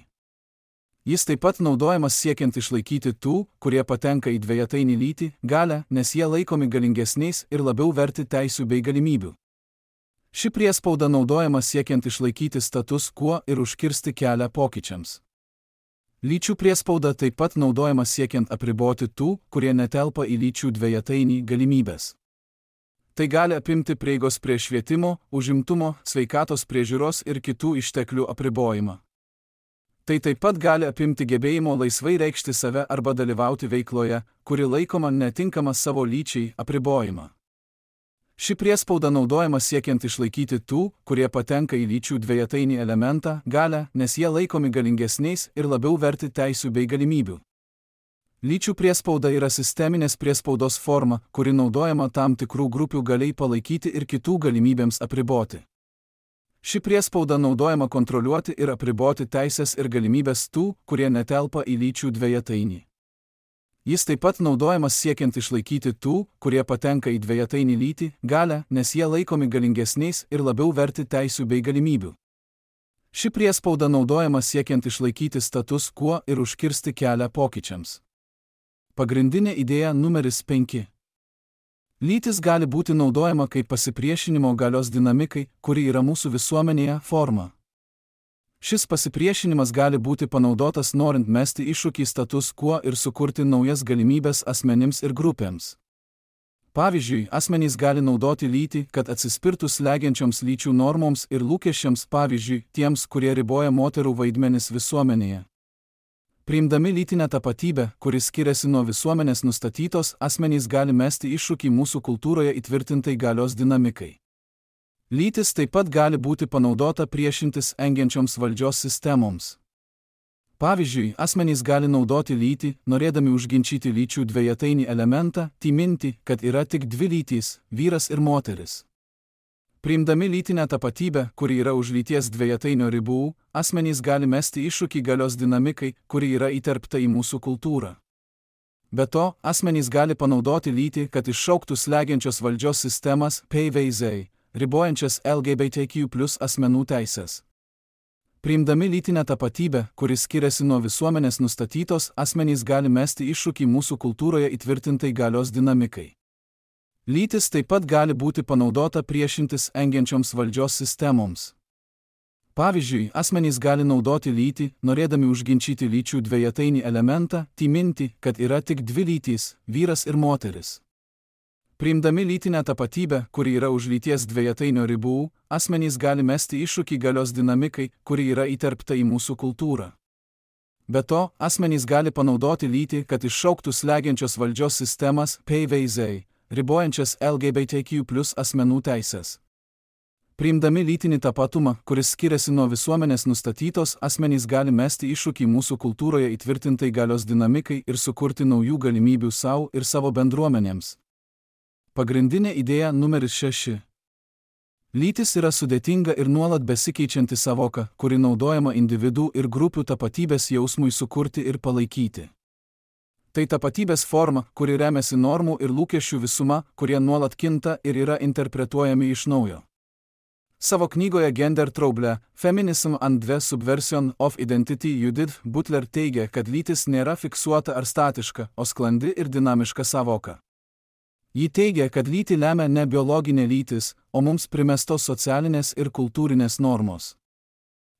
Speaker 1: Jis taip pat naudojamas siekiant išlaikyti tų, kurie patenka į dvejetainį lytį, galią, nes jie laikomi galingesniais ir labiau verti teisių bei galimybių. Ši priespauda naudojama siekiant išlaikyti status quo ir užkirsti kelią pokyčiams. Lyčių priespauda taip pat naudojama siekiant apriboti tų, kurie netelpa į lyčių dvejetainį galimybės. Tai gali apimti prieigos prie švietimo, užimtumo, sveikatos priežiūros ir kitų išteklių apribojimą. Tai taip pat gali apimti gebėjimo laisvai reikšti save arba dalyvauti veikloje, kuri laikoma netinkama savo lyčiai, apribojimą. Ši priespauda naudojama siekiant išlaikyti tų, kurie patenka į lyčių dvejetainį elementą, galią, nes jie laikomi galingesniais ir labiau verti teisių bei galimybių. Lyčių priespauda yra sisteminės priespaudos forma, kuri naudojama tam tikrų grupių galiai palaikyti ir kitų galimybėms apriboti. Ši priespauda naudojama kontroliuoti ir apriboti teisės ir galimybės tų, kurie netelpa į lyčių dvejetainį. Jis taip pat naudojamas siekiant išlaikyti tų, kurie patenka į dvejetainį lytį, galią, nes jie laikomi galingesniais ir labiau verti teisių bei galimybių. Ši priespauda naudojama siekiant išlaikyti status quo ir užkirsti kelią pokyčiams. Pagrindinė idėja numeris 5. Lytis gali būti naudojama kaip pasipriešinimo galios dinamikai, kuri yra mūsų visuomenėje forma. Šis pasipriešinimas gali būti panaudotas norint mesti iššūkį status quo ir sukurti naujas galimybės asmenims ir grupėms. Pavyzdžiui, asmenys gali naudoti lytį, kad atsispirtų slegiančioms lyčių normoms ir lūkesčiams, pavyzdžiui, tiems, kurie riboja moterų vaidmenis visuomenėje. Priimdami lytinę tapatybę, kuris skiriasi nuo visuomenės nustatytos, asmenys gali mesti iššūkį mūsų kultūroje įtvirtintai galios dinamikai. Lytis taip pat gali būti panaudota priešintis engiančioms valdžios sistemoms. Pavyzdžiui, asmenys gali naudoti lytį, norėdami užginčyti lyčių dvejetainį elementą, minti, kad yra tik dvi lytys – vyras ir moteris. Priimdami lytinę tapatybę, kuri yra už lyties dvejetainio ribų, asmenys gali mesti iššūkį galios dinamikai, kuri yra įterpta į mūsų kultūrą. Be to, asmenys gali panaudoti lytį, kad iššauktų slegiančios valdžios sistemas PVZ, ribojančias LGBTQ+ asmenų teisės. Priimdami lytinę tapatybę, kuris skiriasi nuo visuomenės nustatytos, asmenys gali mesti iššūkį mūsų kultūroje įtvirtintai galios dinamikai. Lytis taip pat gali būti panaudota priešintis engiančioms valdžios sistemoms. Pavyzdžiui, asmenys gali naudoti lytį, norėdami užginčyti lyčių dvejetainį elementą, minti, kad yra tik dvi lytys – vyras ir moteris. Priimdami lytinę tapatybę, kuri yra už lyties dvejetainio ribų, asmenys gali mesti iššūkį galios dinamikai, kuri yra įterpta į mūsų kultūrą. Be to, asmenys gali panaudoti lytį, kad iššauktų slegiančios valdžios sistemas PVZ, ribojančias LGBTQ+ asmenų teisės. Priimdami lytinį tapatumą, kuris skiriasi nuo visuomenės nustatytos, asmenys gali mesti iššūkį mūsų kultūroje įtvirtintai galios dinamikai ir sukurti naujų galimybių savo ir savo bendruomenėms. Pagrindinė idėja numeris 6. Lytis yra sudėtinga ir nuolat besikeičianti savoka, kuri naudojama individų ir grupių tapatybės jausmui sukurti ir palaikyti. Tai tapatybės forma, kuri remiasi normų ir lūkesčių visuma, kurie nuolat kinta ir yra interpretuojami iš naujo. Savo knygoje Gender Trouble – Feminism and the Subversion of Identity Judith Butler teigia, kad lytis nėra fiksuota ar statiška, o sklandi ir dinamiška savoka. Ji teigia, kad lytį lemia ne biologinė lytis, o mums primestos socialinės ir kultūrinės normos.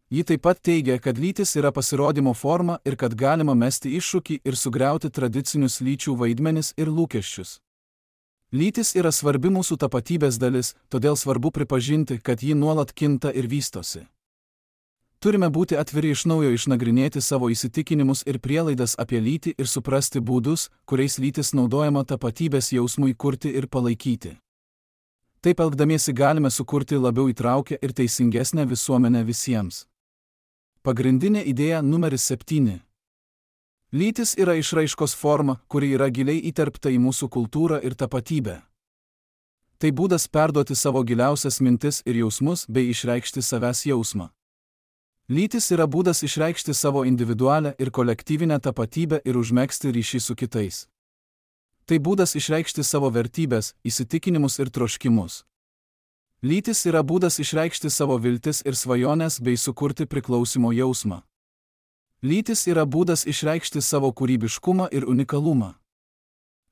Speaker 1: Ji taip pat teigia, kad lytis yra pasirodymo forma ir kad galima mesti iššūkį ir sugriauti tradicinius lyčių vaidmenis ir lūkesčius. Lytis yra svarbi mūsų tapatybės dalis, todėl svarbu pripažinti, kad ji nuolat kinta ir vystosi. Turime būti atviri iš naujo išnagrinėti savo įsitikinimus ir prielaidas apie lytį ir suprasti būdus, kuriais lytis naudojama tapatybės jausmui kurti ir palaikyti. Taip elgdamiesi galime sukurti labiau įtraukę ir teisingesnę visuomenę visiems. Pagrindinė idėja numeris 7. Lytis yra išraiškos forma, kuri yra giliai įterpta į mūsų kultūrą ir tapatybę. Tai būdas perduoti savo giliausias mintis ir jausmus bei išreikšti savęs jausmą. Lytis yra būdas išreikšti savo individualią ir kolektyvinę tapatybę ir užmegzti ryšį su kitais. Tai būdas išreikšti savo vertybės, įsitikinimus ir troškimus. Lytis yra būdas išreikšti savo viltis ir svajones bei sukurti priklausimo jausmą. Lytis yra būdas išreikšti savo kūrybiškumą ir unikalumą.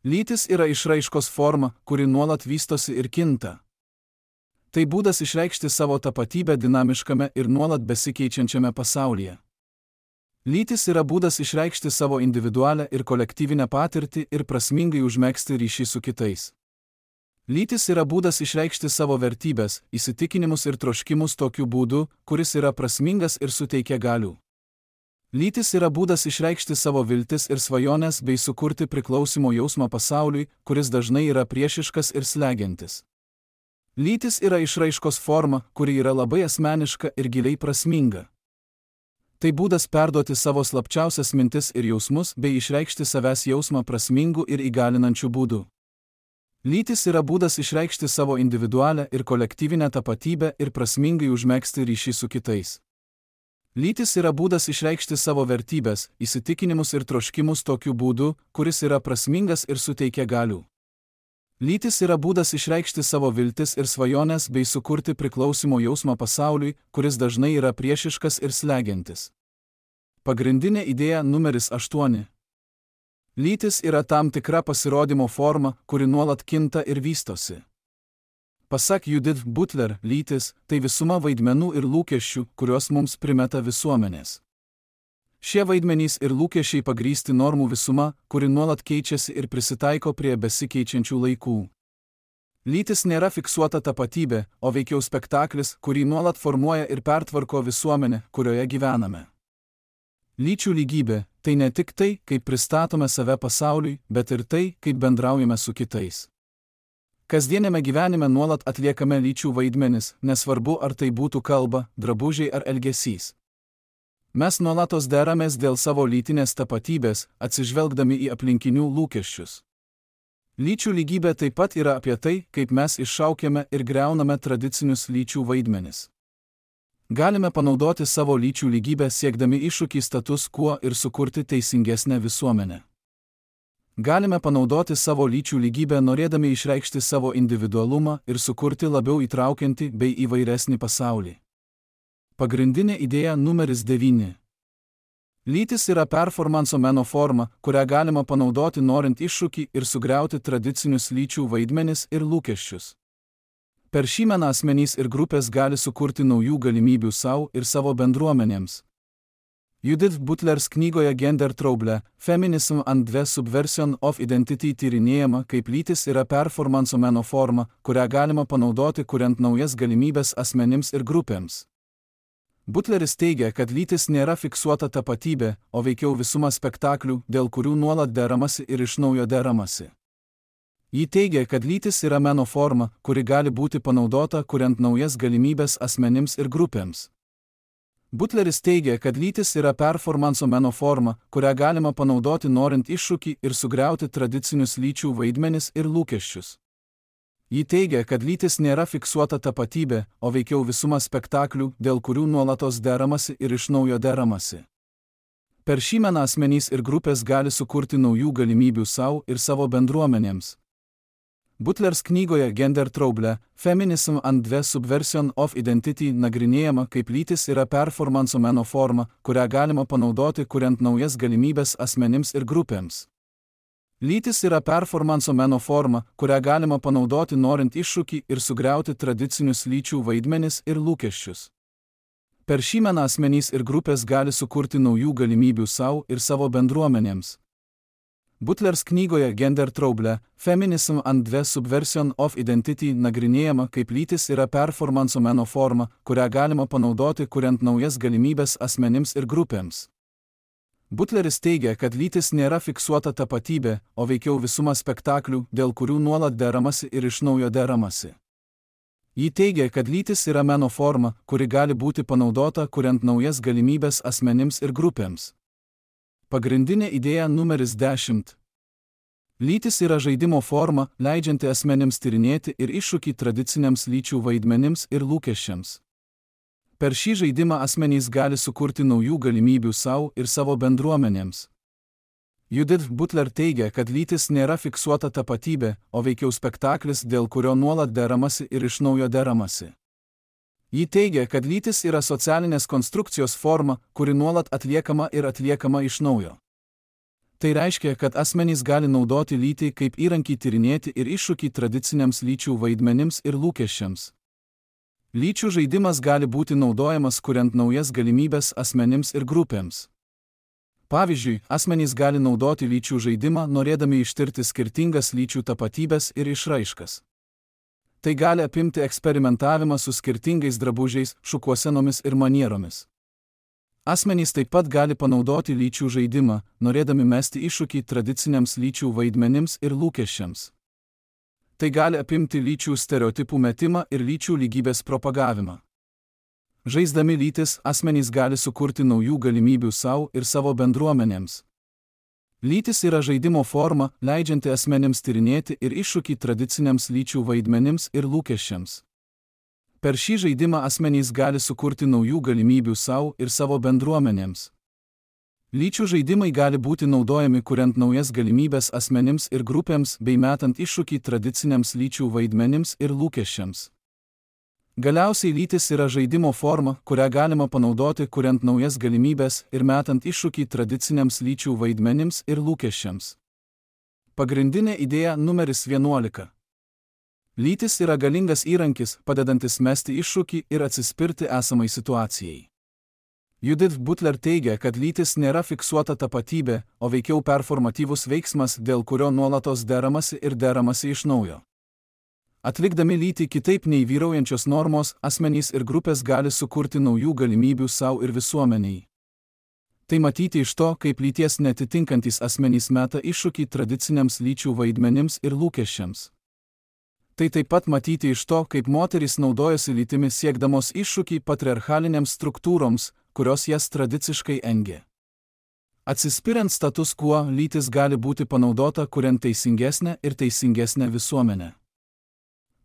Speaker 1: Lytis yra išraiškos forma, kuri nuolat vystosi ir kinta. Tai būdas išreikšti savo tapatybę dinamiškame ir nuolat besikeičiančiame pasaulyje. Lytis yra būdas išreikšti savo individualią ir kolektyvinę patirtį ir prasmingai užmegzti ryšį su kitais. Lytis yra būdas išreikšti savo vertybės, įsitikinimus ir troškimus tokiu būdu, kuris yra prasmingas ir suteikia galių. Lytis yra būdas išreikšti savo viltis ir svajones bei sukurti priklausimo jausmą pasauliui, kuris dažnai yra priešiškas ir slegiantis. Lytis yra išraiškos forma, kuri yra labai asmeniška ir giliai prasminga. Tai būdas perduoti savo slapčiausias mintis ir jausmus bei išreikšti savęs jausmą prasmingų ir įgalinančių būdų. Lytis yra būdas išreikšti savo individualią ir kolektyvinę tapatybę ir prasmingai užmegzti ryšį su kitais. Lytis yra būdas išreikšti savo vertybės, įsitikinimus ir troškimus tokiu būdu, kuris yra prasmingas ir suteikia galių. Lytis yra būdas išreikšti savo viltis ir svajones bei sukurti priklausimo jausmą pasauliui, kuris dažnai yra priešiškas ir slegiantis. Pagrindinė idėja numeris 8. Lytis yra tam tikra pasirodymo forma, kuri nuolat kinta ir vystosi. Pasak Judith Butler, lytis – tai visuma vaidmenų ir lūkesčių, kuriuos mums primeta visuomenės. Šie vaidmenys ir lūkesčiai pagrįsti normų visuma, kuri nuolat keičiasi ir prisitaiko prie besikeičiančių laikų. Lytis nėra fiksuota tapatybė, o veikiau spektaklis, kurį nuolat formuoja ir pertvarko visuomenė, kurioje gyvename. Lyčių lygybė – tai ne tik tai, kaip pristatome save pasauliui, bet ir tai, kaip bendraujame su kitais. Kasdienėme gyvenime nuolat atliekame lyčių vaidmenis, nesvarbu ar tai būtų kalba, drabužiai ar elgesys. Mes nuolatos deramės dėl savo lytinės tapatybės, atsižvelgdami į aplinkinių lūkesčius. Lyčių lygybė taip pat yra apie tai, kaip mes iššaukiame ir griauname tradicinius lyčių vaidmenis. Galime panaudoti savo lyčių lygybę siekdami iššūkį status quo ir sukurti teisingesnę visuomenę. Galime panaudoti savo lyčių lygybę norėdami išreikšti savo individualumą ir sukurti labiau įtraukiantį bei įvairesnį pasaulį. Pagrindinė idėja numeris 9. Lytis yra performanso meno forma, kurią galima panaudoti norint iššūkį ir sugriauti tradicinius lyčių vaidmenis ir lūkesčius. Per šį meną asmenys ir grupės gali sukurti naujų galimybių savo ir savo bendruomenėms. Judith Butlers knygoje Gender Trouble – Feminism and the Subversion of Identity tyrinėjama, kaip lytis yra performanso meno forma, kurią galima panaudoti kuriant naujas galimybės asmenims ir grupėms. Butleris teigia, kad lytis nėra fiksuota tapatybė, o veikiau visuma spektaklių, dėl kurių nuolat deramasi ir iš naujo deramasi. Ji teigia, kad lytis yra meno forma, kuri gali būti panaudota kuriant naujas galimybės asmenims ir grupėms. Butleris teigia, kad lytis yra performanso meno forma, kurią galima panaudoti norint iššūkį ir sugriauti tradicinius lyčių vaidmenis ir lūkesčius. Ji teigia, kad lytis nėra fiksuota tapatybė, o veikiau visuma spektaklių, dėl kurių nuolatos deramasi ir iš naujo deramasi. Per šį meną asmenys ir grupės gali sukurti naujų galimybių savo ir savo bendruomenėms. Butlers knygoje Gender Trouble – Feminism and the Subversion of Identity nagrinėjama, kaip lytis yra performanso meno forma, kurią galima panaudoti kuriant naujas galimybės asmenims ir grupėms. Lytis yra performanso meno forma, kurią galima panaudoti norint iššūkį ir sugriauti tradicinius lyčių vaidmenis ir lūkesčius. Per šį meną asmenys ir grupės gali sukurti naujų galimybių savo ir savo bendruomenėms. Butlers knygoje Gender Trouble – Feminism and the Subversion of Identity nagrinėjama, kaip lytis yra performanso meno forma, kurią galima panaudoti kuriant naujas galimybės asmenims ir grupėms. Butleris teigia, kad lytis nėra fiksuota tapatybė, o veikiau visuma spektaklių, dėl kurių nuolat deramasi ir iš naujo deramasi. Ji teigia, kad lytis yra meno forma, kuri gali būti panaudota kuriant naujas galimybės asmenims ir grupėms. Pagrindinė idėja numeris 10. Lytis yra žaidimo forma, leidžianti asmenims tyrinėti ir iššūkį tradiciniams lyčių vaidmenims ir lūkesčiams. Per šį žaidimą asmenys gali sukurti naujų galimybių savo ir savo bendruomenėms. Judith Butler teigia, kad lytis nėra fiksuota tapatybė, o veikiau spektaklis, dėl kurio nuolat deramasi ir iš naujo deramasi. Ji teigia, kad lytis yra socialinės konstrukcijos forma, kuri nuolat atliekama ir atliekama iš naujo. Tai reiškia, kad asmenys gali naudoti lytį kaip įrankį tyrinėti ir iššūkį tradiciniams lyčių vaidmenims ir lūkesčiams. Lyčių žaidimas gali būti naudojamas kuriant naujas galimybės asmenims ir grupėms. Pavyzdžiui, asmenys gali naudoti lyčių žaidimą norėdami ištirti skirtingas lyčių tapatybės ir išraiškas. Tai gali apimti eksperimentavimą su skirtingais drabužiais, šukuosenomis ir manieromis. Asmenys taip pat gali panaudoti lyčių žaidimą, norėdami mesti iššūkį tradiciniams lyčių vaidmenims ir lūkesčiams. Tai gali apimti lyčių stereotipų metimą ir lyčių lygybės propagavimą. Žaisdami lytis, asmenys gali sukurti naujų galimybių savo ir savo bendruomenėms. Lytis yra žaidimo forma, leidžianti asmenims tyrinėti ir iššūkį tradiciniams lyčių vaidmenims ir lūkesčiams. Per šį žaidimą asmenys gali sukurti naujų galimybių savo ir savo bendruomenėms. Lyčių žaidimai gali būti naudojami kuriant naujas galimybės asmenims ir grupėms bei metant iššūkį tradiciniams lyčių vaidmenims ir lūkesčiams. Galiausiai lytis yra žaidimo forma, kurią galima panaudoti kuriant naujas galimybės ir metant iššūkį tradiciniams lyčių vaidmenims ir lūkesčiams. Pagrindinė idėja numeris 11. Lytis yra galingas įrankis, padedantis mesti iššūkį ir atsispirti esamai situacijai. Judith Butler teigia, kad lytis nėra fiksuota tapatybė, o veikiau performatyvus veiksmas, dėl kurio nuolatos deramasi ir deramasi iš naujo. Atlikdami lytį kitaip nei vyraujančios normos, asmenys ir grupės gali sukurti naujų galimybių savo ir visuomeniai. Tai matyti iš to, kaip lyties netitinkantys asmenys meta iššūkį tradiciniams lyčių vaidmenims ir lūkesčiams. Tai taip pat matyti iš to, kaip moterys naudojasi lytimi siekdamos iššūkį patriarchalinėms struktūroms, kurios jas tradiciškai engė. Atsispiriant status quo, lytis gali būti panaudota kuriant teisingesnę ir teisingesnę visuomenę.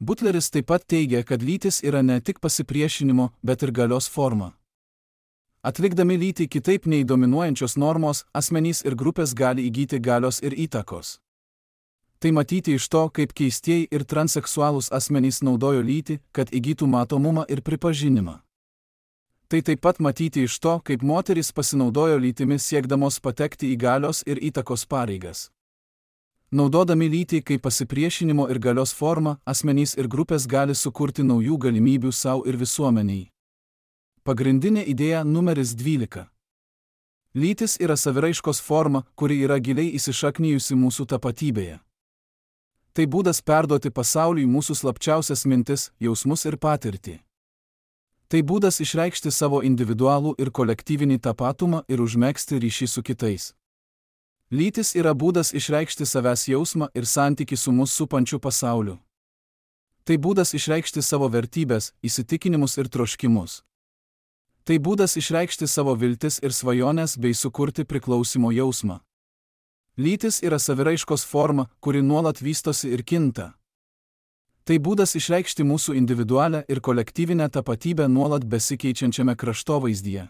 Speaker 1: Butleris taip pat teigia, kad lytis yra ne tik pasipriešinimo, bet ir galios forma. Atlikdami lytį kitaip nei dominuojančios normos, asmenys ir grupės gali įgyti galios ir įtakos. Tai matyti iš to, kaip keistieji ir transseksualūs asmenys naudojo lytį, kad įgytų matomumą ir pripažinimą. Tai taip pat matyti iš to, kaip moterys pasinaudojo lytimi siekdamos patekti į galios ir įtakos pareigas. Naudodami lytį kaip pasipriešinimo ir galios formą, asmenys ir grupės gali sukurti naujų galimybių savo ir visuomeniai. Pagrindinė idėja numeris 12. Lytis yra saviraiškos forma, kuri yra giliai įsišaknijusi mūsų tapatybėje. Tai būdas perduoti pasauliui mūsų slapčiausias mintis, jausmus ir patirtį. Tai būdas išreikšti savo individualų ir kolektyvinį tapatumą ir užmegzti ryšį su kitais. Lytis yra būdas išreikšti savęs jausmą ir santykį su mus supančiu pasauliu. Tai būdas išreikšti savo vertybės, įsitikinimus ir troškimus. Tai būdas išreikšti savo viltis ir svajones bei sukurti priklausimo jausmą. Lytis yra saviraiškos forma, kuri nuolat vystosi ir kinta. Tai būdas išreikšti mūsų individualią ir kolektyvinę tapatybę nuolat besikeičiančiame kraštovaizdyje.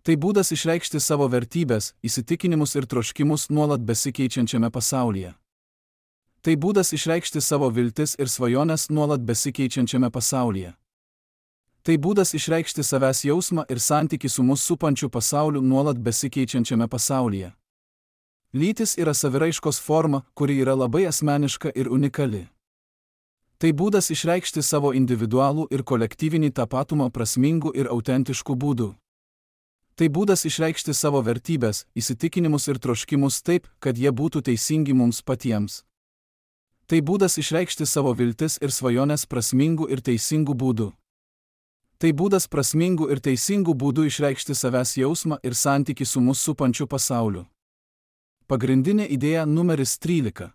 Speaker 1: Tai būdas išreikšti savo vertybės, įsitikinimus ir troškimus nuolat besikeičiančiame pasaulyje. Tai būdas išreikšti savo viltis ir svajones nuolat besikeičiančiame pasaulyje. Tai būdas išreikšti savęs jausmą ir santykį su mus supančiu pasauliu nuolat besikeičiančiame pasaulyje. Lytis yra saviraiškos forma, kuri yra labai asmeniška ir unikali. Tai būdas išreikšti savo individualų ir kolektyvinį tapatumą prasmingų ir autentiškų būdų. Tai būdas išreikšti savo vertybės, įsitikinimus ir troškimus taip, kad jie būtų teisingi mums patiems. Tai būdas išreikšti savo viltis ir svajones prasmingų ir teisingų būdų. Tai būdas prasmingų ir teisingų būdų išreikšti savęs jausmą ir santykį su mus supančiu pasauliu. Pagrindinė idėja numeris 13.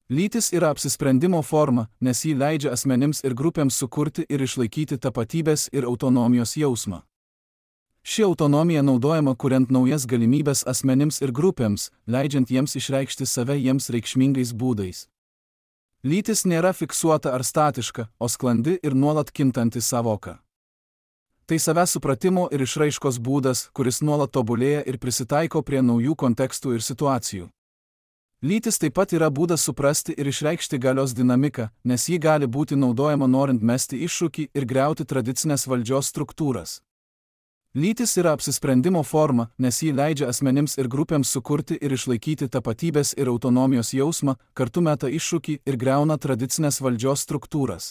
Speaker 1: Lytis yra apsisprendimo forma, nes ji leidžia asmenims ir grupėms sukurti ir išlaikyti tapatybės ir autonomijos jausmą. Ši autonomija naudojama kuriant naujas galimybės asmenims ir grupėms, leidžiant jiems išreikšti save jiems reikšmingais būdais. Lytis nėra fiksuota ar statiška, o sklandi ir nuolat kintanti sąvoka. Tai savęs supratimo ir išraiškos būdas, kuris nuolat tobulėja ir prisitaiko prie naujų kontekstų ir situacijų. Lytis taip pat yra būdas suprasti ir išreikšti galios dinamiką, nes ji gali būti naudojama norint mesti iššūkį ir griauti tradicinės valdžios struktūras. Lytis yra apsisprendimo forma, nes ji leidžia asmenims ir grupėms sukurti ir išlaikyti tapatybės ir autonomijos jausmą, kartu meta iššūkį ir griauna tradicinės valdžios struktūras.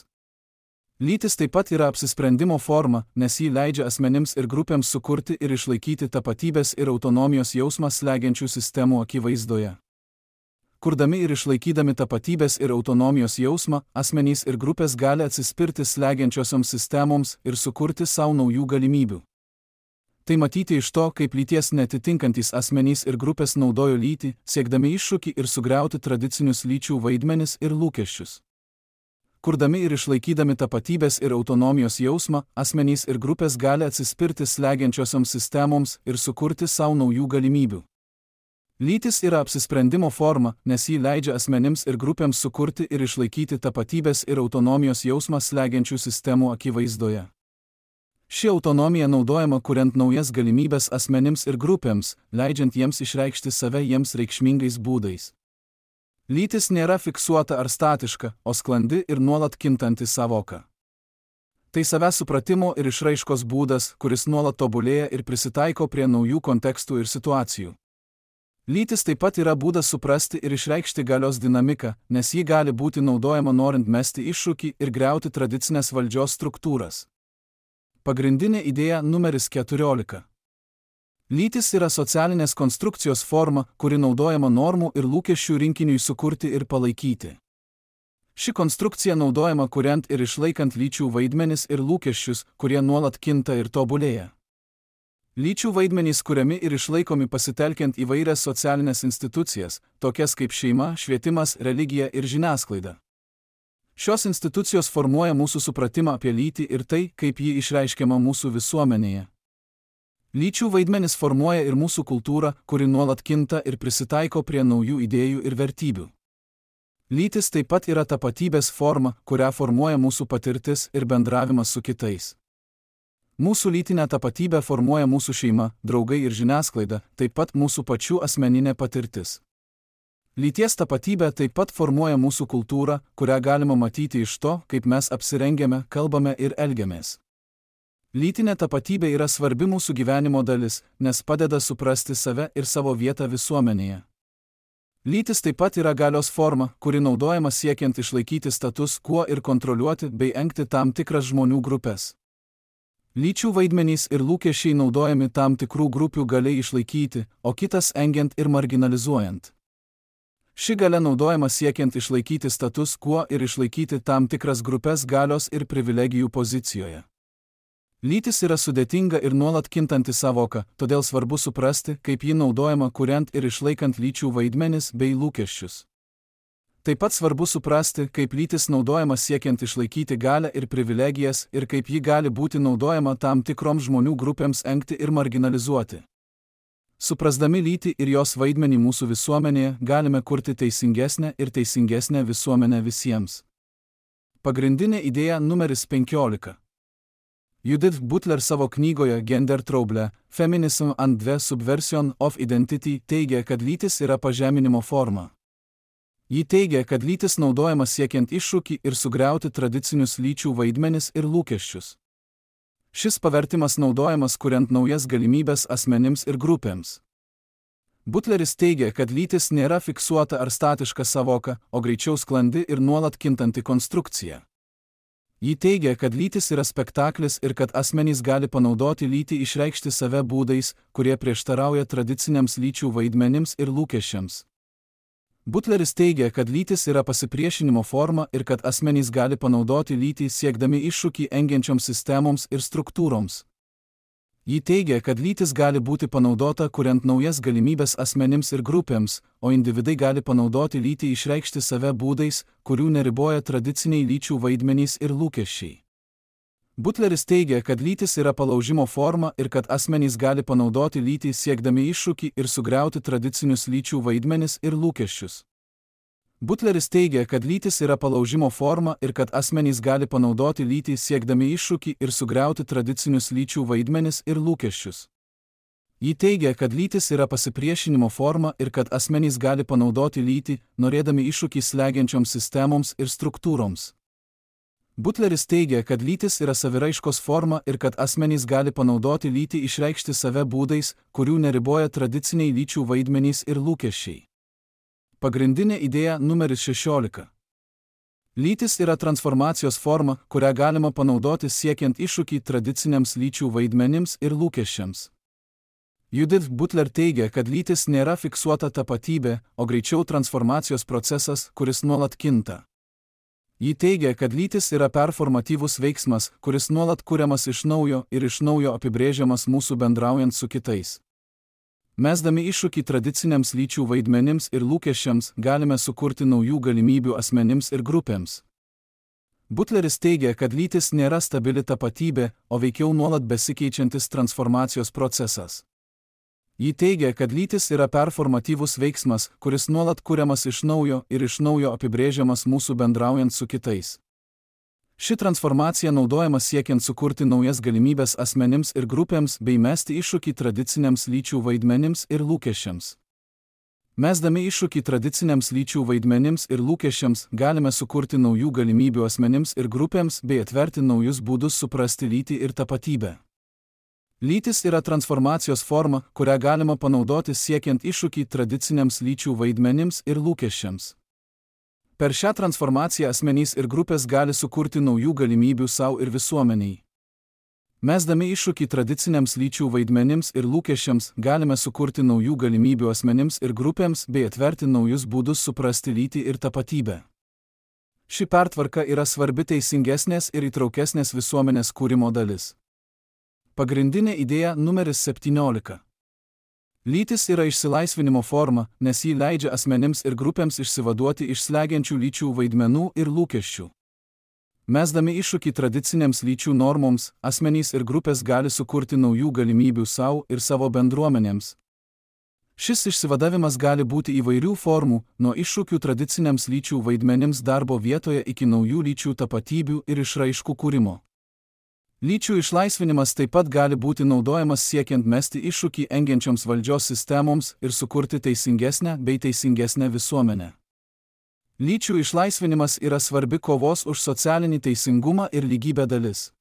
Speaker 1: Lytis taip pat yra apsisprendimo forma, nes ji leidžia asmenims ir grupėms sukurti ir išlaikyti tapatybės ir autonomijos jausmą slegiančių sistemų akivaizdoje. Kurdami ir išlaikydami tapatybės ir autonomijos jausmą, asmenys ir grupės gali atsispirti slegiančiosioms sistemoms ir sukurti savo naujų galimybių. Tai matyti iš to, kaip lyties netitinkantys asmenys ir grupės naudojo lytį, siekdami iššūkį ir sugriauti tradicinius lyčių vaidmenis ir lūkesčius. Kurdami ir išlaikydami tapatybės ir autonomijos jausmą, asmenys ir grupės gali atsispirti slegiančiosioms sistemoms ir sukurti savo naujų galimybių. Lytis yra apsisprendimo forma, nes ji leidžia asmenims ir grupėms sukurti ir išlaikyti tapatybės ir autonomijos jausmą slegiančių sistemų akivaizdoje. Ši autonomija naudojama kuriant naujas galimybės asmenims ir grupėms, leidžiant jiems išreikšti save jiems reikšmingais būdais. Lytis nėra fiksuota ar statiška, o sklandi ir nuolat kintanti savoka. Tai savęs supratimo ir išraiškos būdas, kuris nuolat tobulėja ir prisitaiko prie naujų kontekstų ir situacijų. Lytis taip pat yra būdas suprasti ir išreikšti galios dinamiką, nes ji gali būti naudojama norint mesti iššūkį ir griauti tradicinės valdžios struktūras. Pagrindinė idėja numeris 14. Lytis yra socialinės konstrukcijos forma, kuri naudojama normų ir lūkesčių rinkiniui sukurti ir palaikyti. Ši konstrukcija naudojama kuriant ir išlaikant lyčių vaidmenis ir lūkesčius, kurie nuolat kinta ir tobulėja. Lyčių vaidmenys kuriami ir išlaikomi pasitelkiant įvairias socialinės institucijas, tokias kaip šeima, švietimas, religija ir žiniasklaida. Šios institucijos formuoja mūsų supratimą apie lytį ir tai, kaip ji išreiškiama mūsų visuomenėje. Lyčių vaidmenis formuoja ir mūsų kultūrą, kuri nuolat kinta ir prisitaiko prie naujų idėjų ir vertybių. Lytis taip pat yra tapatybės forma, kurią formuoja mūsų patirtis ir bendravimas su kitais. Mūsų lytinę tapatybę formuoja mūsų šeima, draugai ir žiniasklaida, taip pat mūsų pačių asmeninė patirtis. Lyties tapatybė taip pat formuoja mūsų kultūrą, kurią galima matyti iš to, kaip mes apsirengiame, kalbame ir elgiamės. Lytinė tapatybė yra svarbi mūsų gyvenimo dalis, nes padeda suprasti save ir savo vietą visuomenėje. Lytis taip pat yra galios forma, kuri naudojama siekiant išlaikyti status quo ir kontroliuoti bei engti tam tikras žmonių grupės. Lyčių vaidmenys ir lūkesčiai naudojami tam tikrų grupių galiai išlaikyti, o kitas engiant ir marginalizuojant. Ši galia naudojama siekiant išlaikyti status quo ir išlaikyti tam tikras grupės galios ir privilegijų pozicijoje. Lytis yra sudėtinga ir nuolat kintanti savoka, todėl svarbu suprasti, kaip ji naudojama kuriant ir išlaikant lyčių vaidmenis bei lūkesčius. Taip pat svarbu suprasti, kaip lytis naudojama siekiant išlaikyti galią ir privilegijas ir kaip ji gali būti naudojama tam tikroms žmonių grupėms engti ir marginalizuoti. Suprasdami lytį ir jos vaidmenį mūsų visuomenėje, galime kurti teisingesnę ir teisingesnę visuomenę visiems. Pagrindinė idėja numeris 15. Judith Butler savo knygoje Gender Trouble, Feminism and the Subversion of Identity teigia, kad lytis yra pažeminimo forma. Ji teigia, kad lytis naudojama siekiant iššūkį ir sugriauti tradicinius lyčių vaidmenis ir lūkesčius. Šis pavertimas naudojamas kuriant naujas galimybės asmenims ir grupėms. Butleris teigia, kad lytis nėra fiksuota ar statiška savoka, o greičiau sklandi ir nuolat kintanti konstrukcija. Ji teigia, kad lytis yra spektaklis ir kad asmenys gali panaudoti lytį išreikšti save būdais, kurie prieštarauja tradiciniams lyčių vaidmenims ir lūkesčiams. Butleris teigia, kad lytis yra pasipriešinimo forma ir kad asmenys gali panaudoti lytį siekdami iššūkį engiančioms sistemoms ir struktūroms. Ji teigia, kad lytis gali būti panaudota kuriant naujas galimybės asmenims ir grupėms, o individai gali panaudoti lytį išreikšti save būdais, kurių neriboja tradiciniai lyčių vaidmenys ir lūkesčiai. Butleris teigia, kad lytis yra palaužimo forma ir kad asmenys gali panaudoti lytį siekdami iššūkį ir sugriauti tradicinius lyčių vaidmenis ir lūkesčius. Butleris teigia, kad lytis yra palaužimo forma ir kad asmenys gali panaudoti lytį siekdami iššūkį ir sugriauti tradicinius lyčių vaidmenis ir lūkesčius. Ji teigia, kad lytis yra pasipriešinimo forma ir kad asmenys gali panaudoti lytį, norėdami iššūkį slegiančioms sistemoms ir struktūroms. Butleris teigia, kad lytis yra saviraiškos forma ir kad asmenys gali panaudoti lytį išreikšti save būdais, kurių neriboja tradiciniai lyčių vaidmenys ir lūkesčiai. Pagrindinė idėja numeris 16. Lytis yra transformacijos forma, kurią galima panaudoti siekiant iššūkį tradiciniams lyčių vaidmenims ir lūkesčiams. Judith Butler teigia, kad lytis nėra fiksuota tapatybė, o greičiau transformacijos procesas, kuris nuolat kinta. Ji teigia, kad lytis yra performatyvus veiksmas, kuris nuolat kuriamas iš naujo ir iš naujo apibrėžiamas mūsų bendraujant su kitais. Mesdami iššūkį tradiciniams lyčių vaidmenims ir lūkesčiams, galime sukurti naujų galimybių asmenims ir grupėms. Butleris teigia, kad lytis nėra stabili tapatybė, o veikiau nuolat besikeičiantis transformacijos procesas. Ji teigia, kad lytis yra performatyvus veiksmas, kuris nuolat kuriamas iš naujo ir iš naujo apibrėžiamas mūsų bendraujant su kitais. Ši transformacija naudojama siekiant sukurti naujas galimybės asmenims ir grupėms bei mesti iššūkį tradiciniams lyčių vaidmenims ir lūkesčiams. Mesdami iššūkį tradiciniams lyčių vaidmenims ir lūkesčiams, galime sukurti naujų galimybių asmenims ir grupėms bei atverti naujus būdus suprasti lytį ir tapatybę. Lytis yra transformacijos forma, kurią galima panaudoti siekiant iššūkį tradiciniams lyčių vaidmenims ir lūkesčiams. Per šią transformaciją asmenys ir grupės gali sukurti naujų galimybių savo ir visuomeniai. Mesdami iššūkį tradiciniams lyčių vaidmenims ir lūkesčiams, galime sukurti naujų galimybių asmenims ir grupėms bei atverti naujus būdus suprasti lytį ir tapatybę. Ši pertvarka yra svarbi teisingesnės ir įtraukesnės visuomenės kūrimo dalis. Pagrindinė idėja numeris 17. Lytis yra išsilaisvinimo forma, nes ji leidžia asmenims ir grupėms išsivaduoti iš slegiančių lyčių vaidmenų ir lūkesčių. Mesdami iššūkį tradicinėms lyčių normoms, asmenys ir grupės gali sukurti naujų galimybių savo ir savo bendruomenėms. Šis išsivadavimas gali būti įvairių formų, nuo iššūkių tradiciniams lyčių vaidmenims darbo vietoje iki naujų lyčių tapatybių ir išraiškų kūrimo. Lyčių išlaisvinimas taip pat gali būti naudojamas siekiant mesti iššūkį engiančioms valdžios sistemoms ir sukurti teisingesnę bei teisingesnę visuomenę. Lyčių išlaisvinimas yra svarbi kovos už socialinį teisingumą ir lygybę dalis.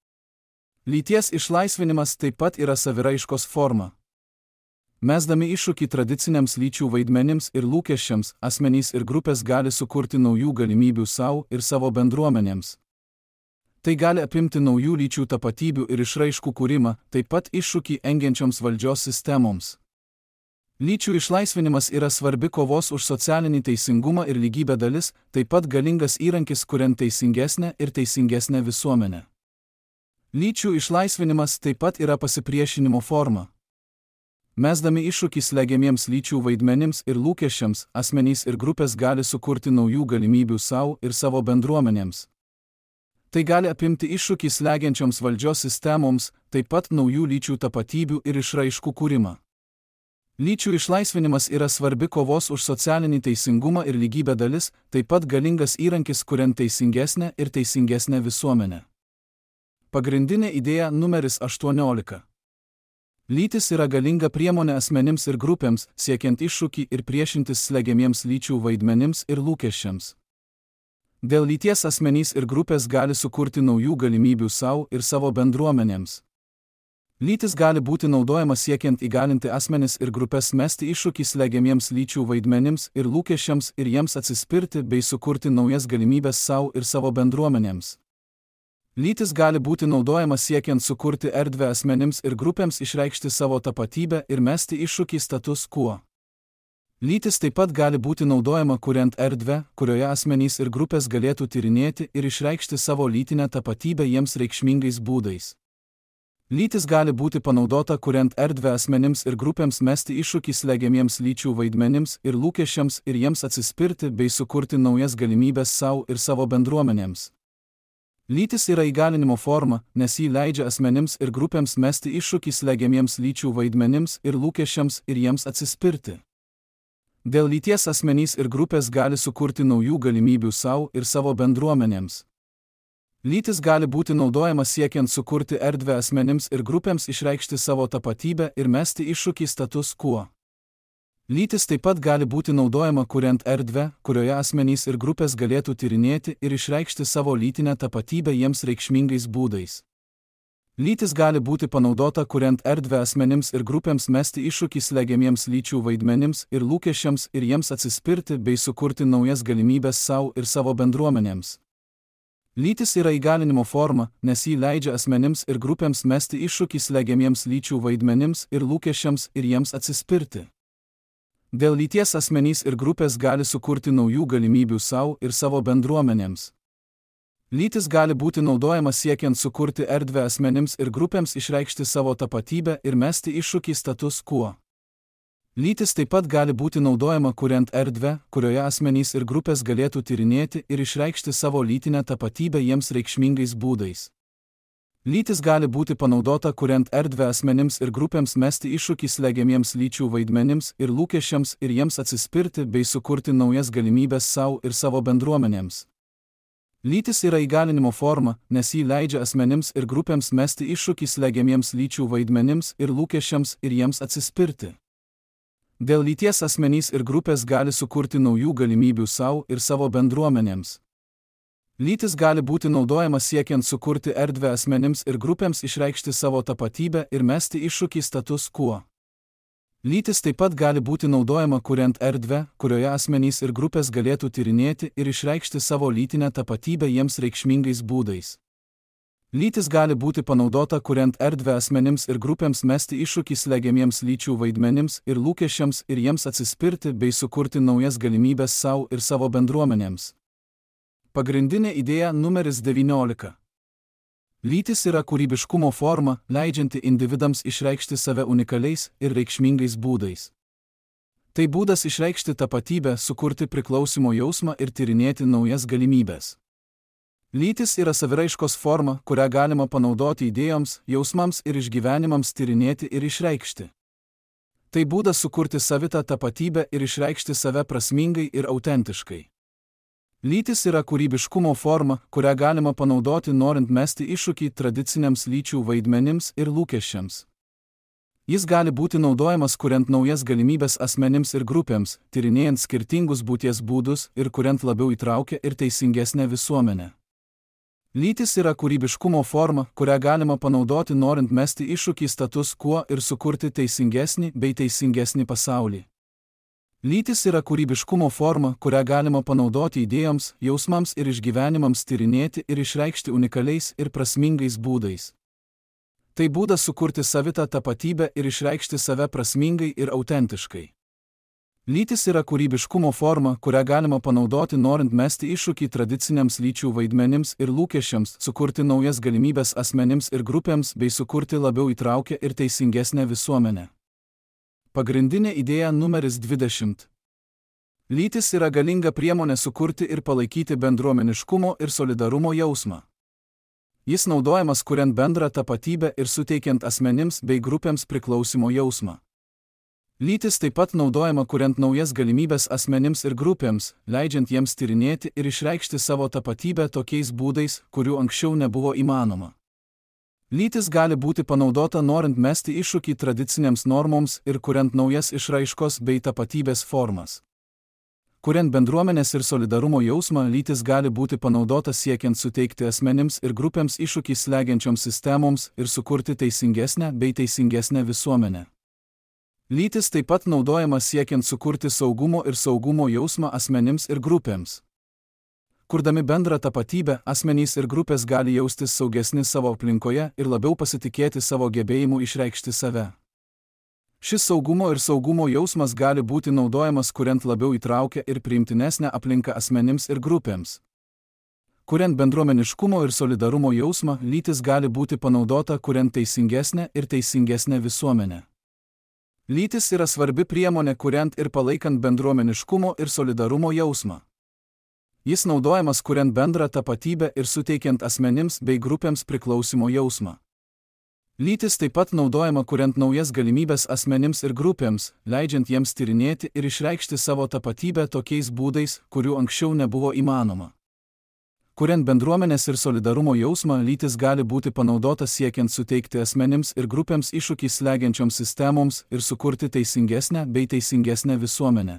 Speaker 1: Lyties išlaisvinimas taip pat yra saviraiškos forma. Mesdami iššūkį tradiciniams lyčių vaidmenims ir lūkesčiams, asmenys ir grupės gali sukurti naujų galimybių savo ir savo bendruomenėms. Tai gali apimti naujų lyčių tapatybių ir išraiškų kūrimą, taip pat iššūkį engiančioms valdžios sistemoms. Lyčių išlaisvinimas yra svarbi kovos už socialinį teisingumą ir lygybę dalis, taip pat galingas įrankis kuriant teisingesnę ir teisingesnę visuomenę. Lyčių išlaisvinimas taip pat yra pasipriešinimo forma. Mesdami iššūkį slegiamiems lyčių vaidmenims ir lūkesčiams, asmenys ir grupės gali sukurti naujų galimybių savo ir savo bendruomenėms. Tai gali apimti iššūkį slegiančioms valdžios sistemoms, taip pat naujų lyčių tapatybių ir išraiškų kūrimą. Lyčių išlaisvinimas yra svarbi kovos už socialinį teisingumą ir lygybę dalis, taip pat galingas įrankis kuriant teisingesnę ir teisingesnę visuomenę. Pagrindinė idėja numeris 18. Lytis yra galinga priemonė asmenims ir grupėms, siekiant iššūkį ir priešintis slegiamiems lyčių vaidmenims ir lūkesčiams. Dėl lyties asmenys ir grupės gali sukurti naujų galimybių savo ir savo bendruomenėms. Lytis gali būti naudojama siekiant įgalinti asmenis ir grupės mesti iššūkį slegiamiems lyčių vaidmenims ir lūkesčiams ir jiems atsispirti bei sukurti naujas galimybės savo ir savo bendruomenėms. Lytis gali būti naudojama siekiant sukurti erdvę asmenims ir grupėms išreikšti savo tapatybę ir mesti iššūkį status quo. Lytis taip pat gali būti naudojama kuriant erdvę, kurioje asmenys ir grupės galėtų tyrinėti ir išreikšti savo lytinę tapatybę jiems reikšmingais būdais. Lytis gali būti panaudota kuriant erdvę asmenims ir grupėms mesti iššūkį slegiamiems lyčių vaidmenims ir lūkesčiams ir jiems atsispirti bei sukurti naujas galimybės savo ir savo bendruomenėms. Lytis yra įgalinimo forma, nes ji leidžia asmenims ir grupėms mesti iššūkį slegiamiems lyčių vaidmenims ir lūkesčiams ir jiems atsispirti. Dėl lyties asmenys ir grupės gali sukurti naujų galimybių savo ir savo bendruomenėms. Lytis gali būti naudojama siekiant sukurti erdvę asmenims ir grupėms išreikšti savo tapatybę ir mesti iššūkį status quo. Lytis taip pat gali būti naudojama kuriant erdvę, kurioje asmenys ir grupės galėtų tyrinėti ir išreikšti savo lytinę tapatybę jiems reikšmingais būdais. Lytis gali būti panaudota kuriant erdvę asmenims ir grupėms mesti iššūkį slegiamiems lyčių vaidmenims ir lūkesčiams ir jiems atsispirti bei sukurti naujas galimybės savo ir savo bendruomenėms. Lytis yra įgalinimo forma, nes jį leidžia asmenims ir grupėms mesti iššūkį slegiamiems lyčių vaidmenims ir lūkesčiams ir jiems atsispirti. Dėl lyties asmenys ir grupės gali sukurti naujų galimybių savo ir savo bendruomenėms. Lytis gali būti naudojama siekiant sukurti erdvę asmenims ir grupėms išreikšti savo tapatybę ir mesti iššūkį status quo. Lytis taip pat gali būti naudojama kuriant erdvę, kurioje asmenys ir grupės galėtų tyrinėti ir išreikšti savo lytinę tapatybę jiems reikšmingais būdais. Lytis gali būti panaudota kuriant erdvę asmenims ir grupėms mesti iššūkį slegiamiems lyčių vaidmenims ir lūkesčiams ir jiems atsispirti bei sukurti naujas galimybės savo ir savo bendruomenėms. Lytis yra įgalinimo forma, nes jį leidžia asmenims ir grupėms mesti iššūkį slegiamiems lyčių vaidmenims ir lūkesčiams ir jiems atsispirti. Dėl lyties asmenys ir grupės gali sukurti naujų galimybių savo ir savo bendruomenėms. Lytis gali būti naudojama siekiant sukurti erdvę asmenims ir grupėms išreikšti savo tapatybę ir mesti iššūkį status quo. Lytis taip pat gali būti naudojama kuriant erdvę, kurioje asmenys ir grupės galėtų tyrinėti ir išreikšti savo lytinę tapatybę jiems reikšmingais būdais. Lytis gali būti panaudota kuriant erdvę asmenims ir grupėms mesti iššūkį slegiamiems lyčių vaidmenims ir lūkesčiams ir jiems atsispirti bei sukurti naujas galimybės savo ir savo bendruomenėms. Pagrindinė idėja numeris 19. Lytis yra kūrybiškumo forma, leidžianti individams išreikšti save unikaliais ir reikšmingais būdais. Tai būdas išreikšti tapatybę, sukurti priklausimo jausmą ir tyrinėti naujas galimybės. Lytis yra saviraiškos forma, kurią galima panaudoti idėjoms, jausmams ir išgyvenimams tyrinėti ir išreikšti. Tai būdas sukurti savitą tapatybę ir išreikšti save prasmingai ir autentiškai. Lytis yra kūrybiškumo forma, kurią galima panaudoti norint mesti iššūkį tradiciniams lyčių vaidmenims ir lūkesčiams. Jis gali būti naudojamas kuriant naujas galimybės asmenims ir grupėms, tyrinėjant skirtingus būties būdus ir kuriant labiau įtraukę ir teisingesnę visuomenę. Lytis yra kūrybiškumo forma, kurią galima panaudoti norint mesti iššūkį status quo ir sukurti teisingesnį bei teisingesnį pasaulį. Lytis yra kūrybiškumo forma, kurią galima panaudoti idėjoms, jausmams ir išgyvenimams tyrinėti ir išreikšti unikaliais ir prasmingais būdais. Tai būdas sukurti savitą tapatybę ir išreikšti save prasmingai ir autentiškai. Lytis yra kūrybiškumo forma, kurią galima panaudoti norint mesti iššūkį tradiciniams lyčių vaidmenims ir lūkesčiams, sukurti naujas galimybės asmenims ir grupėms bei sukurti labiau įtraukę ir teisingesnę visuomenę. Pagrindinė idėja numeris 20. Lytis yra galinga priemonė sukurti ir palaikyti bendruomeniškumo ir solidarumo jausmą. Jis naudojamas kuriant bendrą tapatybę ir suteikiant asmenims bei grupėms priklausimo jausmą. Lytis taip pat naudojama kuriant naujas galimybės asmenims ir grupėms, leidžiant jiems tyrinėti ir išreikšti savo tapatybę tokiais būdais, kurių anksčiau nebuvo įmanoma. Lytis gali būti panaudota norint mesti iššūkį tradicinėms normoms ir kuriant naujas išraiškos bei tapatybės formas. Kuriant bendruomenės ir solidarumo jausmą, lytis gali būti panaudota siekiant suteikti asmenims ir grupėms iššūkį slegiančioms sistemoms ir sukurti teisingesnę bei teisingesnę visuomenę. Lytis taip pat naudojama siekiant sukurti saugumo ir saugumo jausmą asmenims ir grupėms. Kurdami bendrą tapatybę, asmenys ir grupės gali jaustis saugesni savo aplinkoje ir labiau pasitikėti savo gebėjimu išreikšti save. Šis saugumo ir saugumo jausmas gali būti naudojamas kuriant labiau įtraukę ir priimtinesnę aplinką asmenims ir grupėms. Kuriant bendruomeniškumo ir solidarumo jausmą, lytis gali būti panaudota kuriant teisingesnę ir teisingesnę visuomenę. Lytis yra svarbi priemonė kuriant ir palaikant bendruomeniškumo ir solidarumo jausmą. Jis naudojamas kuriant bendrą tapatybę ir suteikiant asmenims bei grupėms priklausimo jausmą. Lytis taip pat naudojama kuriant naujas galimybės asmenims ir grupėms, leidžiant jiems tyrinėti ir išreikšti savo tapatybę tokiais būdais, kurių anksčiau nebuvo įmanoma. Kuriant bendruomenės ir solidarumo jausmą, lytis gali būti panaudota siekiant suteikti asmenims ir grupėms iššūkį slegiančioms sistemoms ir sukurti teisingesnę bei teisingesnę visuomenę.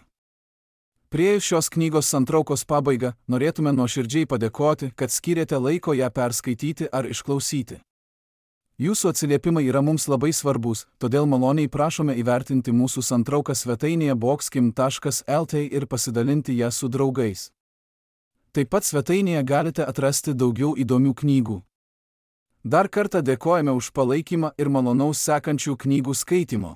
Speaker 1: Priėjus šios knygos santraukos pabaigą, norėtume nuoširdžiai padėkoti, kad skyrėte laiko ją perskaityti ar išklausyti. Jūsų atsiliepimai yra mums labai svarbus, todėl maloniai prašome įvertinti mūsų santrauką svetainėje boxkim.lt ir pasidalinti ją su draugais. Taip pat svetainėje galite atrasti daugiau įdomių knygų. Dar kartą dėkojame už palaikymą ir malonaus sekančių knygų skaitymo.